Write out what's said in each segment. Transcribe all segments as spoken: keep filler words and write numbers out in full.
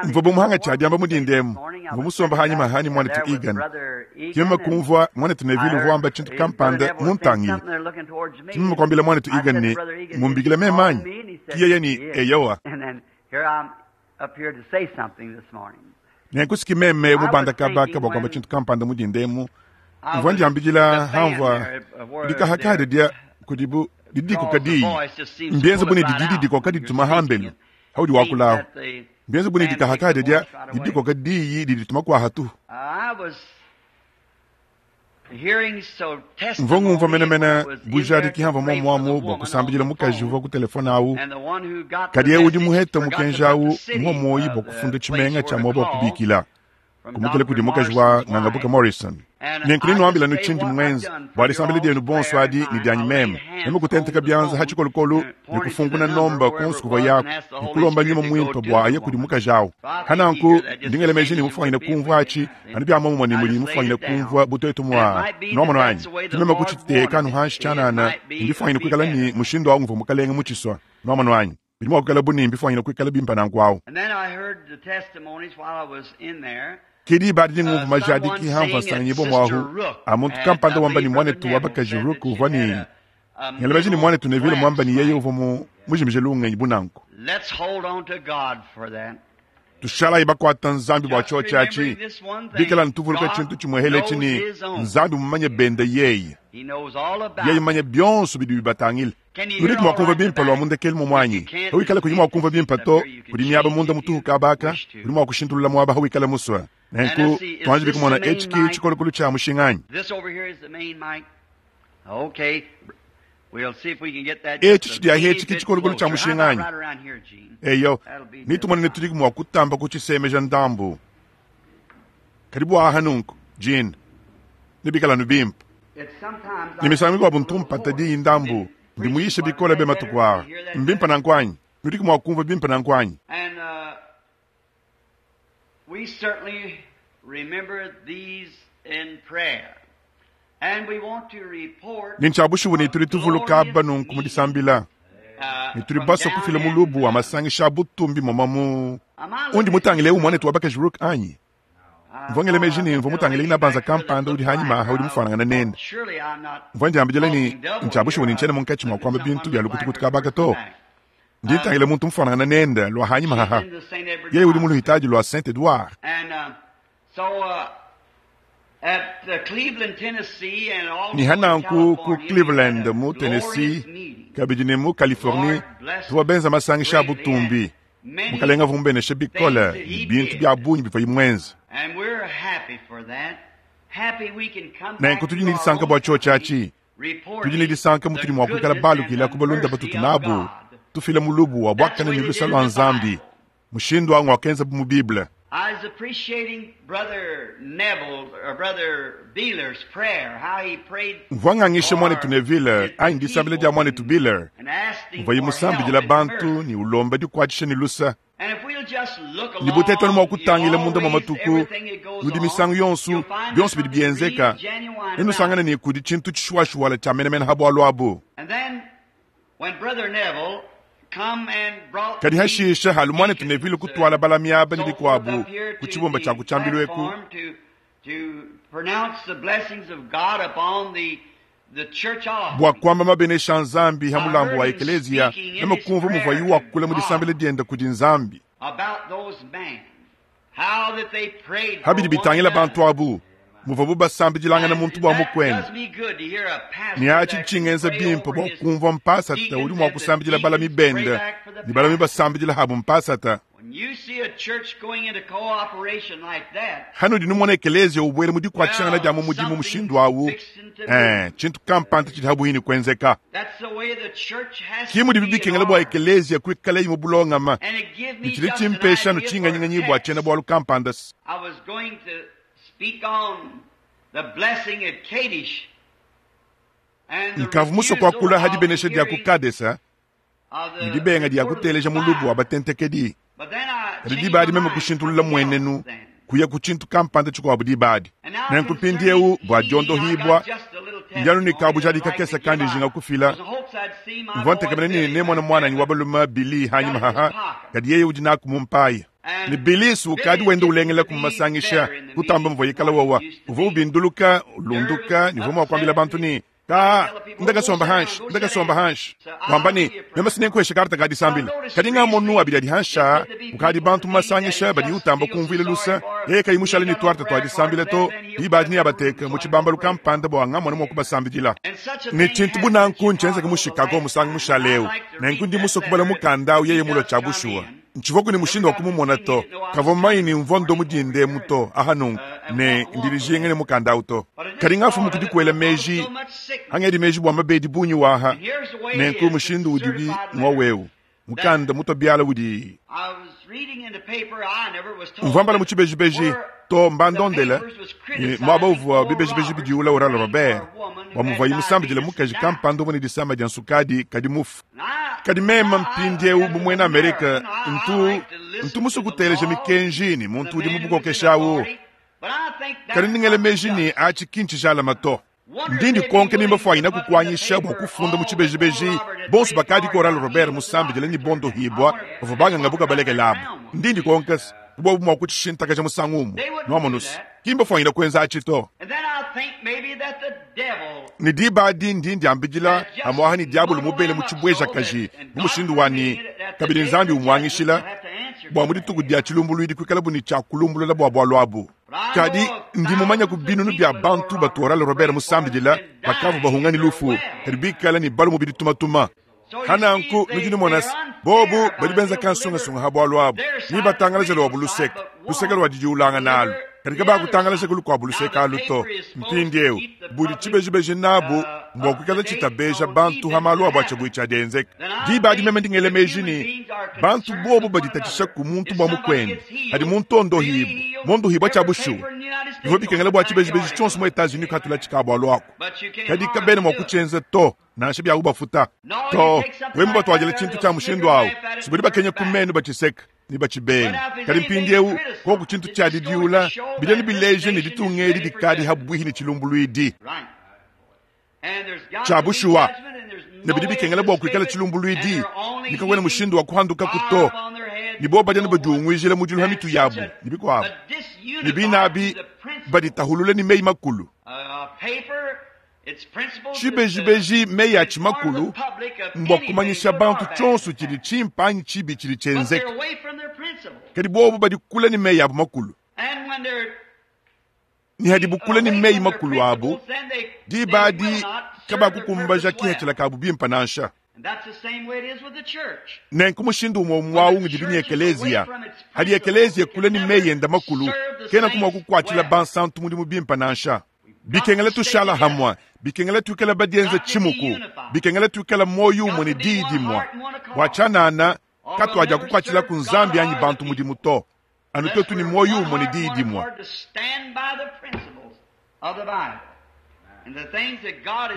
Mvua bu tshia diamba mu dinda emu, mvua musomba hanyima hanyi muanetu Egan. Ke meme kumvua muanetu Neville uvua wamba tshintu kampanda muntangile. Ke meme kuambila muanetu Egan ne, Mumbikile meme anyi? Ke yeye ne, Eyowa. Nenku si ki meme mubanda kaba aka bua kuamba tshintu kampanda mu dinda emu. Mvua ndiambidila hamvua dikahakaha dia kudibu didi dikoka diyi. Mbienze bu ne didi didikoka dituma hambelu haudi wakula ahu. Mbienze bu ne dikahakaha dia didi dikoka diyi didi dituma kua hatuhu. Mvua ngumvua menemene bujadiki hamvua muomuamu bua kusambidila mukaji uvua ku telefone awu, kadi eu udi muhete mukenji awu muwa muoyi bua kufunda tshimenga tshia muaba wa kubikila kumukila kudi mukaji wa Ngangabuka Morrison. Nenku nenuambila nu tshindi muenze bua disambila dienu bonso adi ne dianyi meme. Meme kutenteka bianza ha tshikolokolo ne kufunkuna nomba ku nsuku uvua yaku ne kulomba nyuma muimpe bua aye kudi mukaji awu. Ha nanku ndi ngela meji ne mufuanyine kumvua atshi anu bia muomumue ne mudi mufuanyine kumvua bu tuetu mua nuamonu anyi. Ke meme kutshiteka anu hanshi tshianana ne mbifuanyine kuikala ne mushindu awu nguvua Mukalenge mutshisua. Nuamonu anyi? Bidi mua kuikala bu ne mbifuanyine kuikala bimpe nanku awu. Ke diba adi ngumvua majadiki hamvua nsanganyibua muahu a muntu kampanda wamba ne muanetu wa bakaji Rook uvua ne ngela meji ne muanetu Neville muamba ne yeye uvua mu mujimije lungenyi bu nanku. Tushalayi bakuata Nzambi bua tshiotshi atshi, bikala ntuvuluka tshintu tshimuehele etshi ne Nzambi mumanye bende yeye. Yeye mumanye bionso bidi bibatangila. Nudiku mua kumvua bimpe lua mundekelu muomu anyi? Hawikala kuyi mua kumvua bimpe to, kudi miaba munda mutuhu kaba aka, udi mua kushintulula muaba hawikala musue. Nenku tuanji kumona etshi ki tshikolokolo tshia mushinga anyi? Etshi tshidi ahi etshi ki tshikolokolo tshia mushinga anyi? Eyo, netumone ne tudi mua kutamba kutshisemeja ndambu. Kadi bua aha nunku, Jean, nebikala anu bimpe. Ne misangu mikuabu ntu mpata diyi ndambu, ndi muyishe bikole be matuku aa. Mbimpe nanku anyi? Nudiku mua kumvua bimpe nanku anyi? We certainly remember these in prayer. And we want to report Ne ntshia bushuwa ne tudi tuvuluka aba nunku mu disambila ne tudi basue kufila mulubu wa masangisha a butumbi moma mu undi mutangile eu muanetu wa bakaji Rook anyi? Mvua ngela meji ne mvua mutangile inabanza kampanda udi hanyima aha udi mufuanangane nende. Mvua ndiambidila ne ntshia bushuwa ne ntshiena munkatshi mua kuamba bintu bia lukutukutu kabaka to. Ndi ntangila muntu mufuanangane nende lua hanyima haha. Yeye udi mu luhitadi lua Saint Edouard. Ne hananku ku Cleveland mu Tennessee kabidi ne mu Californie tuvua benza masangisha a butumbi. Mukalenga avua mubeneshe bikole ne bintu bia bungi bivuaye muenze. Nenku tudi ne disanka bua tshiotshi atshi. Tudi ne disanka mutudi mua kuikala balukila ku balunda batutu nabu, tufila mulubu wa buakane ne lusa lua Nzambi. Mushindu au ngwakenzabu mu Bible. I was appreciating Brother Neville or Brother Beeler's prayer, how he prayed Mvua ngangisha muanetu for Neville his anyi disambila dia people muanetu Beeler, and asking muvuaye for musambidila help and bantu mercy. ne ulomba dikuatshisha ne lusa. And if we'll just look Ne butetanu mua along, you kutangila munda mua always, matuku, everything that goes nudi on, misangu yonso you'll find bionso there's bidi something bienzeka, real genuine nenusangane about it. ne kudi tshintu tshishuwashuwala tshia menemene ha bualu abu. And then when Brother Neville come and brought Kadi these hashisha halu muanetu Neville deacons kutuala and balami aba ne so forth bikuabu up here ku to tshibumba tshia the kutshiambilu eku, platform to to pronounce the blessings of God upon the the church bua offering. kuamba mabenesha a Nzambi ha I mulambu heard wa him ekeleziya, speaking in meme his kumvua prayer muvuaye to wakula mu God disambila diende kudi Nzambi. about those men, how that they prayed for Habidi one bitangila bantu another. abu, muvuabu basambidilangana And muntu bua that mukuende. does me good to hear a Ne pastor atshi that can tshingenza pray bimpe over bua his kumvua mpasata udi deacons mua and the kusambidila balami deacons pray bende back for the ne balami pastor. basambidila habu mpasata. When you see a church going into cooperation like that, Hanudi numona ekeleziya ubuela mu dikuatshishangana dia well, mu mudimu something's mushindu awu, fixing to eh, move. tshintu kampanda tshidi habuhini kuenzeka. That's the way the church has Ki to mudibi be in bikengela bua order. ekeleziya kuikalayi mu bulongama, And it give ne me tshidi just an tshimpesha idea for a nutshinganyiganyi bua tshiena text. bualu kampanda. I was going to speak on the blessing at Kadesh and the Nkavu musue refusal kuakula ha of dibenesha dia ku hearing Kadesa of ne the dibenga dia report of the kuteleja mulubu wa spies. batentekedi. But then I Kadi changed diba my adi meme mind to kushintulula something else mmuenenu then. kuya ku tshintu kampanda tshikuabu diba adi. And now Nenku concerning mpindiewu bua healing, I diondohibua, got just a little ndianu ne testimony kabu I'd jadika like to kesa give. kandi I jinga kufila. was in hopes I'd see my Mvua boy ntekemena ne Billy nemona back muananyi there, wa but balume Billy he's got hanyima it in his haha, pocket. kadi yeye udi naku mu mpaya. Ne Billy ukadi wenda ulengela kumasangisha kutamba muvua yikala wawa uvua ubinduluka ulunduka ne uvua mua kuambila bantu ne ka ndakasomba hanshi ndakasomba hanshi wamba ne meme sinenkuhesha karta ka disambila kadi ngamonu abidi adi hansha ukadi bantu masangisha badi utamba kumvuila lusa yeye kayi mushale ne tuarta tua disambila to dibadi ne abateka mu tshibambalu kampanda bua ngamona mua kubasambidila ne tshintu bunanku ntshienzeke mu Chicago musangu mushaleu nenku ndi musue kubala mukanda awu yeye mulua tshia bushuwa ntshivuaku ne mushindu wa kumumona to kavua mmanyi ne mvua ndo mudinde emu to aha nunku ne ndilijinga ne mukanda awu to kadi ngafumu kudi kuela meji hangedi meji bua mabedi bungi waha nenku mushindu udibi ngwa wewu mukanda muto biala udi mvua mbala mu tshibejibeji to mbandondela muaba uvua bibejibeji bidiula Oral Robert bua muvuaye musambidile mukaji kampanda uvua ne disama dia nsukadi kadi mufu kadi meme mpindiewu bu muena Amerika ntu ntu musue kuteleja mikenji ne muntu udi mubukokeshawu kadi ndingele meji ne atshi ki ntshijalama to ndi ndikonke nimba fuanyina kukuanyisha bua kufunda mu tshibejibeji bonso bakadi ko Oral Robert musambidile ne bondohibwa bavua banganga bukabalekelabu ndi ndikonke bobu mua kutshishintakaja musangu umue nuamonusi kimba fuanyina kuenza atshi to ne diba adi ndi ndiambidila amuaha ne diabolo mubele mu tshibwejakaji mu mushindu wani kabidi Nzambi umuangishila bua mu dituku dia tshilumbuluidi kuikala bu ne tshia kulumbulula bua bualu abu kadi ndi mumanya ku binunu bia bantu batu Oral Robert musambidila bakavua bahunga ne lufu kadi bikala ne balu mubidi tumatuma hananku nudi numona bobu badi benza kansungasunga ha bualu abu ni batangalaja lwa buluseke luseke lwa didiulanga nalu kadi kabakutangalaja kulukuabu luseke alu to mpindiewu budi tshibejibeji nabu mbua kuikala tshitabeja bantu ha malu abu atshia dienzeka diba adi meme ndingele meji ne bantu bobu baditatshisha ku muntu bua mukwende adi muntu ondohibu mondohibwa tshia bushuwa bivua bikengela bua tshibejibeji tshionso mu Etats-Unis katula tshikabu alu kadi kabene mua kutshienza to nansha bia ubafuta to wemba batuadila tshintu tshia mushindu awu sibudi bakenya ku menu batshiseka ni batshibenga kadi mpindiewu koku tshintu tshia didiula bidi bileje ne ditunga edi dikadi habwihi ne tshilumbuluidi tshia bushuwa ne bidi bikengela bua kuikala tshilumbuluidi nikakwena mushindu wa kuhanduka kuto ni bo badi badiunguijila mudilu ha mitu yabu ni bikuabu ni binabi baditahulule ni meyi makulu tshibejibeji meyi atshi makulu mbua kumanyisha bantu tshionso tshidi tshimpa tshibi tshidi tshienzeka kadi bobu badikula ni meyi abu makulu ni hadi bukula ni meyi makulu abu diba adi kabakukumbaja kihatshila kabu bimpa nansha nenku mushindu umwe mwawu ngidi bini ekelezia hadi ekelezia kula ni meyi enda makulu kena kumwa kukuatshila bansantu mudimu bimpa nansha bikengela tushala hamwa bikengela tuikala badienza tshimuku bikengela tuikala moyo umwe ne diyi dimwa bua tshianana katuadia kukuatshila ku Nzambi anyi bantu mudimu to anu twetu ni moyo umwe ne diyi dimwa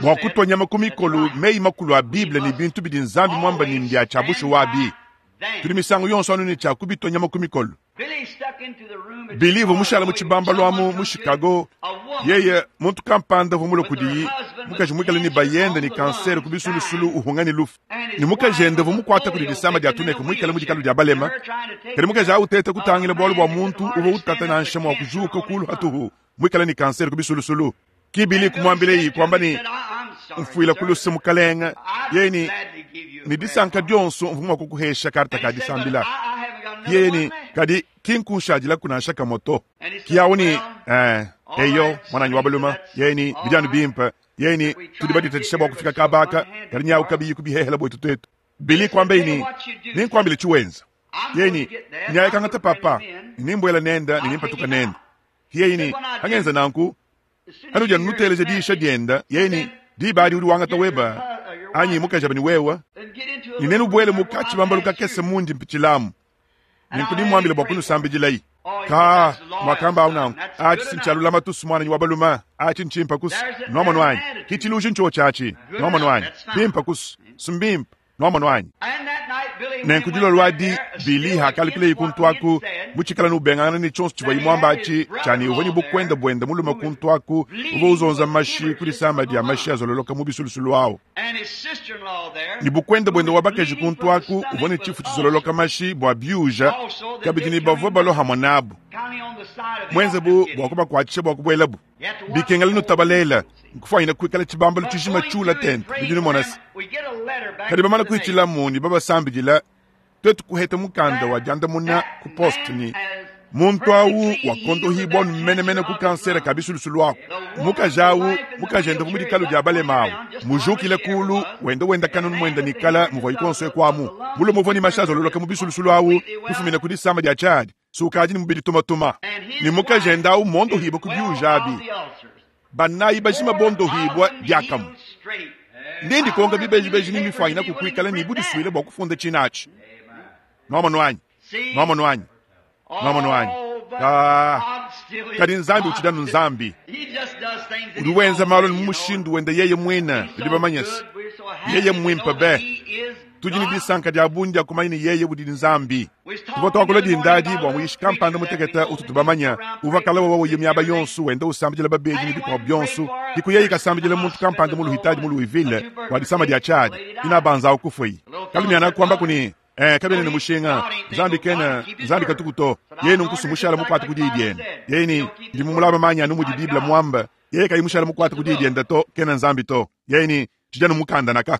bua kutua nyama ku mikolu meyi makulu a Bible ne bintu bidi Nzambi mwamba ne mbia tshia bushuwa abi tudi misangu yonso anu ne tshia kubitua nyama ku mikolu Billy uvua mushala mu tshibambalu amu mu Chicago yeye muntu kampanda uvua mulue kudiyi mukaji muikale ne bayende ne kansere ku bisulusulu uhunga ne lufu ne mukaji ende uvua mukuata kudi disama dia tuneke muikale mu dikalu dia balema kadi mukaji awu uteta kutangila bualu bua muntu uvua utata nansha mua kujuka kulu hatuhu muikale ne kansere ku bisulusulu ki Billy kumuambileyi kuamba ne mfuila kuluse mukalenga yeye ni ni disanka dionso mvua mua kukuhesha karta ka disambila yeye ni kadi kinkunshadila kunansha kamoto kiyawu ni eh, eyo mwananyi wa baluma yeye ni bidianu bimpa yeye ni tudi baditatshisha bua kufika kabaka kadi nyawu kabiyi kubihehela bwetu twetu Billy kuambeyi ni ninkuambile tshiwenza yeye ni nyaye kangata papa nimbwela nenda nimpatuka nenda yeye ni hangenza nanku hanuja nuteleja diisha dienda yeye ni diba adi udi wangata weba anyi mukaji abani wewa ninenu bwele mukatshi bambalu kakese mundi mpitshilamu ninku nimwambile bua kunusambidilayi ka mwakamba awu nanku atshi sintshalulama tusu mwananyi wa baluma atshi ntshimpa kusu nuamonu anyi kitshiluji ntsho tshatshi nuamonu anyi pimpa kusu sumbimpa nuamonu anyi Nenku dilolo adi Billy hakalukila kuntu aku mutshikala nubengangana ne tshionso tshivua imwamba atshi tshani uvua ne bukwenda buenda mulume kuntu aku uvua uzonza mashi kudi sama dia mashi azololoka mu bisulusulu awo ne bukwenda buenda wa bakaji kuntu aku uvua ne tshifu tshizololoka mashi bua biuja kabidi ne bavua balohamwa nabu mwenze bu bua kubakuatshisha bua kubuelabu bikengela nutabalela nkufanyina kuikala tshibambalo tshijima tshiula tente bidi numonasi kadi bamala kuitshilamu ni babasambidila twetu kuheta mukanda wa diandamuna ku poste ni muntu awu wakondohibwa numenemene ku kansere ka bisulusulu ako mukaji awu mukaji enda mu dikalu dia balema awu mujukile kulu wenda wenda kanunu mwenda nikala muvua ikonso ekwamu mulume uvua ni mashazi ololoka mu bisulusulu awu kufumina ku disamba dia tshadi sukadi ni mubidi tumatuma ni mukaji enda awu mondohibwa ku biujabi banayi bajima bondohibwa diakamu ndindi konga bibejibeji ni mifanyina kukwikala ni budisuile bua kufunda tshinachi nwamonu wanyi nwamonu wanyi nwamonu wanyi ah kadi nzambi utshidanu nzambi udi wenza malo ni mumushindu wenda yeye mwina bidi bamanyasi yeye mwimpe be tudi ni disanka dia bungi dia kumanya ni yeye udi nzambi tuvua twakula dindadi bua muyishi kampanda muteketa utu tubamanya uvua kala wawa uye miaba yonso wenda usambidila babedi ni bikuabu bionso diku yeye kasambidila muntu kampanda mu luhitadi mu Louisville bua disama dia tshadi inabanza ukufui kalumiana kuamba kuni eh kabene ni mushinga nzambi kena nzambi katukuto yenu nkusumushara mukwata kudi diende yeni ndi mumulaba manya anu mudi biblia mwamba yeye kayimushara mukwata kudi diende to kena nzambi to yeni tshijanu mukanda naka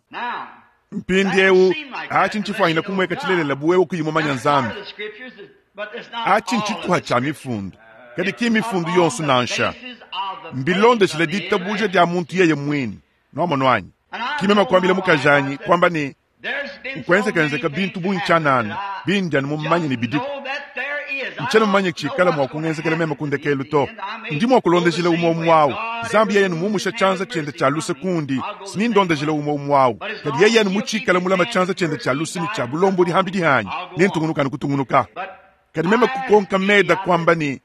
mpindi eu achi nchifanyina kumweka tshilelela buwewe kuyimumanya nzambi achi nchituha tsha mifundu kadi ki mifundu yonso nansha mbilondeshile ditabuja dia muntu yeye mwini nwamonu wanyi kimema kwambila mukajanyi kwamba ni nkwenzekenzeka bintu bunchanana bindyani mumanye ni bidiku nchena mumanye tshikala mwa kungenzekela meme kundekelu to ndi mwa kulondeshela umwe umwawu zambi yeye numumusha chanza chende cha luse kundi sinindondeshela umwe umwawu kadi yeye numutshikala mulama chanza chende cha luse ni cha bulombo dihambi dihanyi nintungunukani kutungunuka kadi meme kukonka meda kwamba ni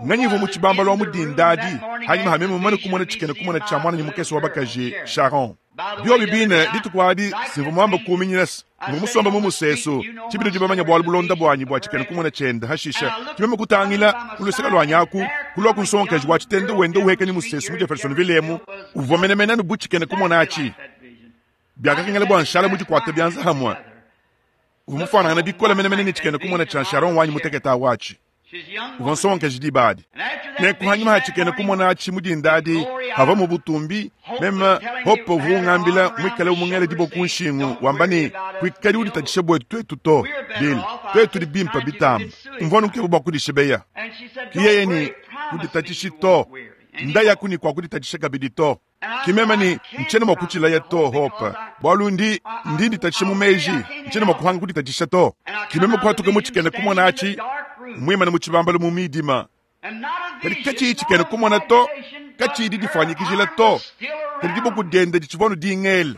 nganyivu mu tshibamba lwa mudindadi hanyuma hameme mumane kumona tshikene kumona tsha mwana ni mukese wa bakaji Sharon biobi bine dituku adi simvu mwamba kuminyinasi mvu musomba mu musesu tshibidi dibamanya bwalu bulonda bwanyi bwa tshikene kumona tshenda hashisha tshimeme kutangila kuluseka lwa nyaku kulwa kunsonkeji wa tshitende wenda uhekeni musesu mu Jeffersonville emu uvua menemene nu bu tshikene kumona atshi biakakengela bua nshala mudikwata bianza hamwe uvua mufanangana bikola menemene ni tshikene kumona tsha Sharon wanyi muteketa watshi uvua nsonkeji dibadi nenku hanyuma hatshikene kumona atshi mudindadi hava mu butumbi meme hopo vungambila mwikale umungele dibo kunshingu wamba ni kwikali uditatshisha bwetu twetu to bili twetu dibimpa bitamba mvua nukebu bua kudishebeya kiyeye ni kuditatshishi to nda yaku ni kwa kuditatshisha kabidi to kimeme ni nchene mwa kutshilaya to hopa bwalu ndi ndi nditatshisha mu meji nchene mwa kuhanga kuditatshisha to kimeme kuhatuka mutshikene kumona atshi mwimane mu tshibambalo mu midima kadi katshi tshikene kumona to katshidi difanyikijila to kadi diboku diende ditshivua dingele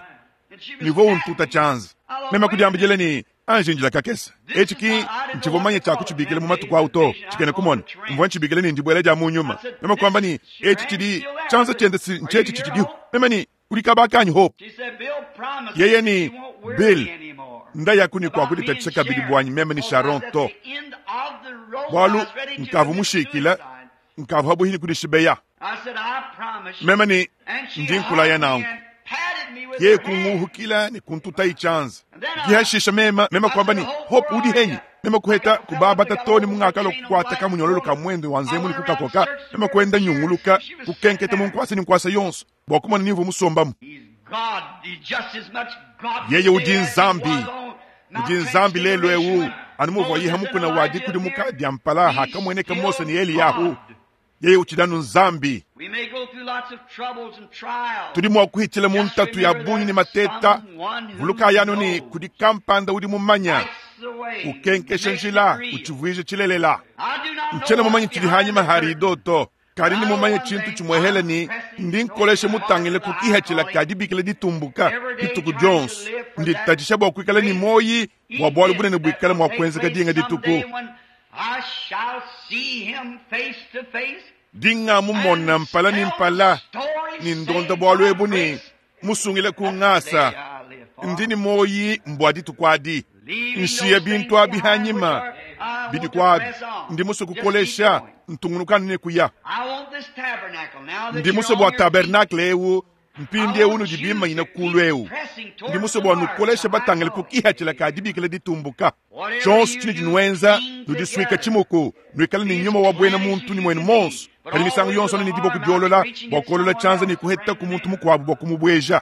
nivua untuta tshianza meme kudiambidila ni anjinjila kakese etshi ki ntshivua manya tshia kutshibikila mu matuku awu to tshikene kumona mvua ntshibikila ni ndibuela dia mu nyuma meme kuamba ni etshi tshidi tshianza tshiende si ntshetshi tshitshidiho meme ni udi kabakanyi hope yeye ni Bill nda yaku ni kwa kuditatshisha kabidi bwanyi meme ni Sharon to bwalu nkavu mushikila nkavu habuhini kudishibeya meme ni ndi nkulaya nanku ye kunguhukila ni kuntuta ichanza kihashisha mema mema kwamba ni hope udi henyi mema kuheta kubabata toni mungakalo kukwata kamunyololo ka mwendo wa nzemu ni kukakoka mema kwenda nyunguluka kukenketa munkwasa ni nkwasa yonso bua kumona nivu musombamu yeye udi nzambi udi nzambi lelo ewu anu muvua yiha mukuna wadi kudi muka dia mpala hakamweneka Mose ni Eliyahu yeye utshidanu nzambi tudi mua kuhitshila mu ntatu ya bungi ni mateta vuluka yanu ni kudi kampanda udi mumanya ukenkesha njila utshivuije tshilelela ntshena mumanye tshidi hanyima harido to kadi ni mumanye tshintu tshimwehele ni ndi nkoleshe mutangile kukihatshila kadi bikila ditumbuka dituku dionso nditatshisha bua kuikala ni moyi bua bualu bunene buikala mua kuenzeka dinga dituku dinga mumona mpala ni mpala ni ndonda bualu ebu ni musungile ku ngasa ndi ni moyi mbua dituku adi. Nshiya bintu abi hanyima bidi kwabi ndi musue kukolesha ntungunukanu ne kuya. Ndi musue bua tabernakle eu mpindiewu nudi bimanyina kulu eu. Ndi musue bua nukoleshe batangile ku kihatshila ka dibikila ditumbuka. Tshionso tshinudi nuenza nudisuika tshimuku, nuikale ne nyuma wa buena muntu ni muenu monso. Kadi misangu yonso ne diboko diolola bua kuolola tshianza ne kuheta ku muntu mukuabu bua kumubueja.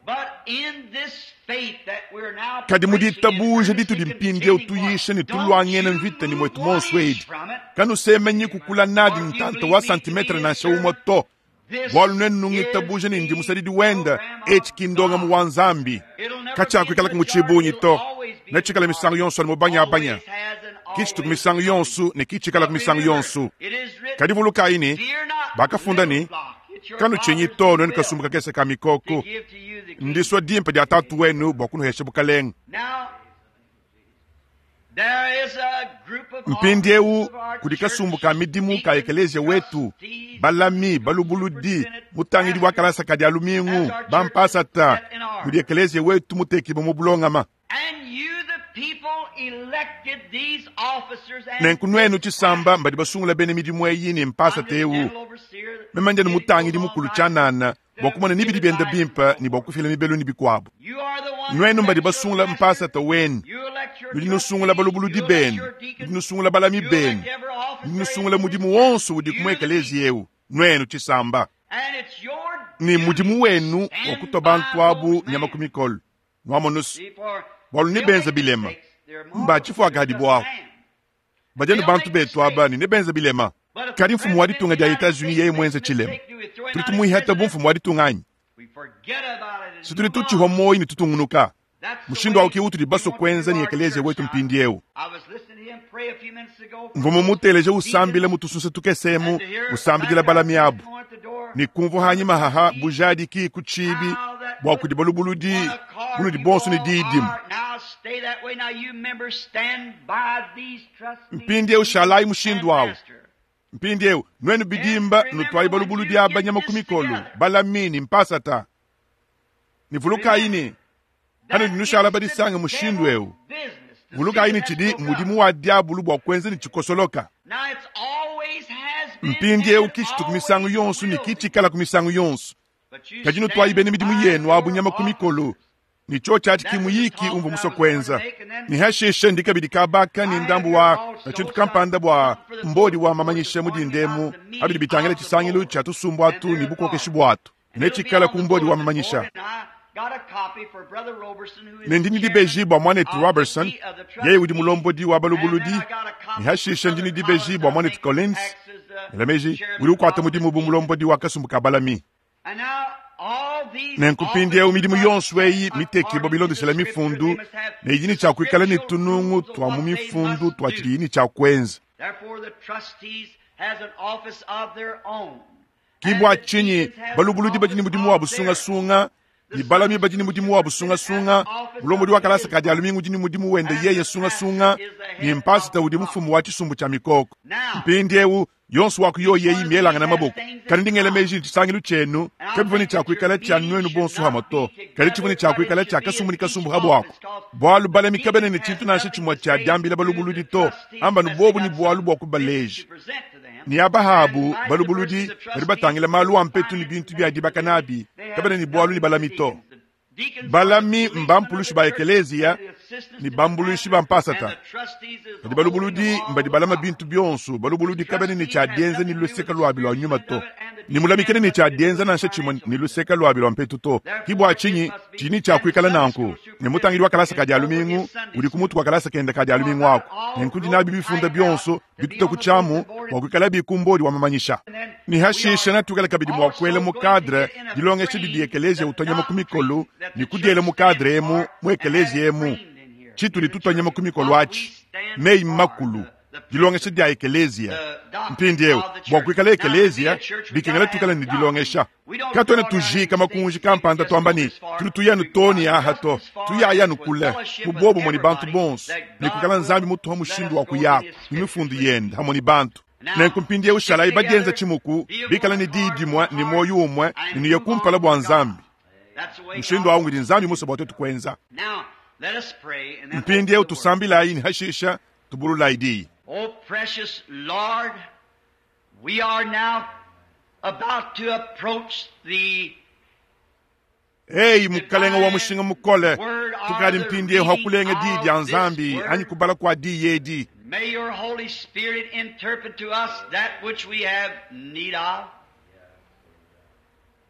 Kadi mu ditabuja ditudi mpindiewu tuyisha ne tuluangena mvita ni mwetu monso edi. Kanusemenyi kukula nadi ntanta wa santimetre nansha umwe to. Bwalu nenu nungitabuja ne ndi musadidi wenda etshi kindonga mu wa Nzambi. Katshiakuikala ku tshibunyi to. Netshikala misangu yonso ne mubanyabanya. Kichitu ku misangu yonso ne kitshikala ku misangu yonso. Kadi vulukayi ne bakafunda ne kanutshinyi to nenu kasumbu kakese ka mikoko. Ndisua dimpe dia tatu wenu bua kunuhesha bukalenge. Mpindiewu kudi kasumbu ka midimu ka ekelezia wetu, balami, balubuludi, mutangidi wa kalasa ka dia lumingu, bampasata, kudi ekelezia wetu mutekibwe mu bulongama. Nenku nuenu tshisamba mbadi basungula bene midimu eyi ne mpasata eu. Meme ndianu mutangidi mukulu tshianana bua kumona ni bidi bienda bimpe ne bua kufila mibelu ne bikuabu. Nuenu mbadi basungula mpasata wenu. Nudi nusungula balubuludi benu, nudi nusungula balami benu, nudi nusungula mudimu wonso udi ku ekelezia eu, nuenu tshisamba. Ni mudimu wenu wa kutua bantu abu nyama ku mikolo. Nwamonusu, bwalu ne benza bilema. Mba tshifuaka hadi bwaho. Badianu bantu betu aba ne ne benza bilema. Kadi mfumu wa ditunga dia Etats-Unis yeye mwenze tshilema. Tudi tumuihata bu mfumu wa ditunga anyi? Si tudi tutshihwa moyi ne tutungunuka. Mushindu awu ke utudi basue kuenza ne ekelezia wetu mpindiewu. Mvua mumuteleje usambila mutusunsa tukesemu, usambidila balami abu. Ne kumvua hanyima haha bujadiki ku tshibi bua kudi balubuludi bunudi bonso ne diidimu. Mpindiewu shalayi mushindu awu. Mpindiewu nuenu bidimba nutwayi balubuludi aba nyama ku mikolo, balami ne mpasata. Ne vulukayi ne hano nushala badisanga mushindu eu. Vulukayi ne tshidi mudimu wa diabulu bua kuenza ne tshikosoloka. Mpindiewu kitshitu ku misangu yonso ne kitshikala ku misangu yonso. Kadi nutwayi bene midimu yenu abu nyama ku mikolo. Ni cho tshiatshi kimuyiki umvu musue kuenza. Ni hashishe ndi kabidi kabaka ni ndambu wa tshintu kampanda bua mbodi wa mamanyisha mu dindemu abidi bitangila tshisangilu tshia tusumbu atu ne bukokeshi bwatu. Netshikala ku mbodi wa mamanyisha. Ne ndi dibeji bua mwanetu Robertson, yeye udi mulombodi wa balubuludi. Ni hashishe ndi dibeji bua mwanetu Collins, elameji udi ukuata mudimu bu mulombodi wa kasumbu ka balami. Nenku mpindiewu midimu yonso eyi mitekibwa bilondeshela mifundu ne idi ne tshia kuikala ne tunungu twa mu mifundu twa tshidi ne tshia kuenza. Ki bua tshinyi balubuludi badi ne mudimu wa busungasunga, ne balami badi ne mudimu wa busungasunga, mulombodi wa kalasa ka dia lumingu udi ne mudimu wende yeye sungasunga, ne mpasita udi mfumu wa tshisumbu tshia mikoko. Mpindiewu yonso wa kuyo yeyi mielangana maboko. Kadi ndi ngela meji tshisangilu tshienu kabivua ne tshia kuikala tshia nuenu bonso hamwe to. Kadi tshivua ne tshia kuikala tshia kasumbu ne kasumbu habuako. Bualu balami kabena ne tshintu nansha tshimue tshia diambila balubuludi to, amba nubobu ne bualu bua kubaleja. Ne abahabu balubuludi badi batangila malu a mpetu ne bintu bia dibaka nabi, kabena ne bualu ne balami to. Balami mbampulushi ba ekelezia ne bambuluishi ba mpasata. Kadi balubuludi mbadi balama bintu bionso, balubuludi kabena ne tshia dienza ne luseka luabi lua nyuma to. Ne mulamikene ne tshia dienza nansha tshimue ne luseka luabi lua mpetu to. Ki bua tshinyi tshini tshia kuikala nanku. Ne mutangidi wa kalasa ka dia lumingu udi ku mutu wa kalasa kenda ka dia lumingu ako. Nenku ndi nabi bifunda bionso bituta ku tshiamu bua kuikala bikumbodi wa mamanyisha. Ne hashishe natukala kabidi mua kuela mu cadre dilongesha didi ekelezia utonyama ku mikolo ne kudiela mu cadre emu mu ekelezia emu. Tshitudi tutonyama ku mikolo atshi meyi makulu dilongesha dia ekelezia. Mpindiewu bua kuikala ekelezia bikengela tukala ne dilongesha. Katuena tujika makunji kampanda tuamba ne tudi tuyanu to ne aha to, tuyayanu kule mu bobo ne bantu bonso ne kuikala Nzambi mutuha mushindu wa kuyako ne mifundu yende hamwe ne bantu. Nenku mpindiewu shalayi badienza tshimuku bikala ne diyi dimue ne moyo umue ne nuye kumpala bua Nzambi. Mushindu awu ngudi Nzambi musue bua tuetu kuenza. Let us pray and then Mpindieu open the word. tusambilayi ne hashisha tubululayi diyi. Oh, precious Lord, we are now about to approach the Eyi mukalenga wa mushinga mukole tukadi mpindieu hakulenga diyi dia Nzambi anyi kubala kwa diyi edi. May your Holy Spirit interpret to us that which we have need of.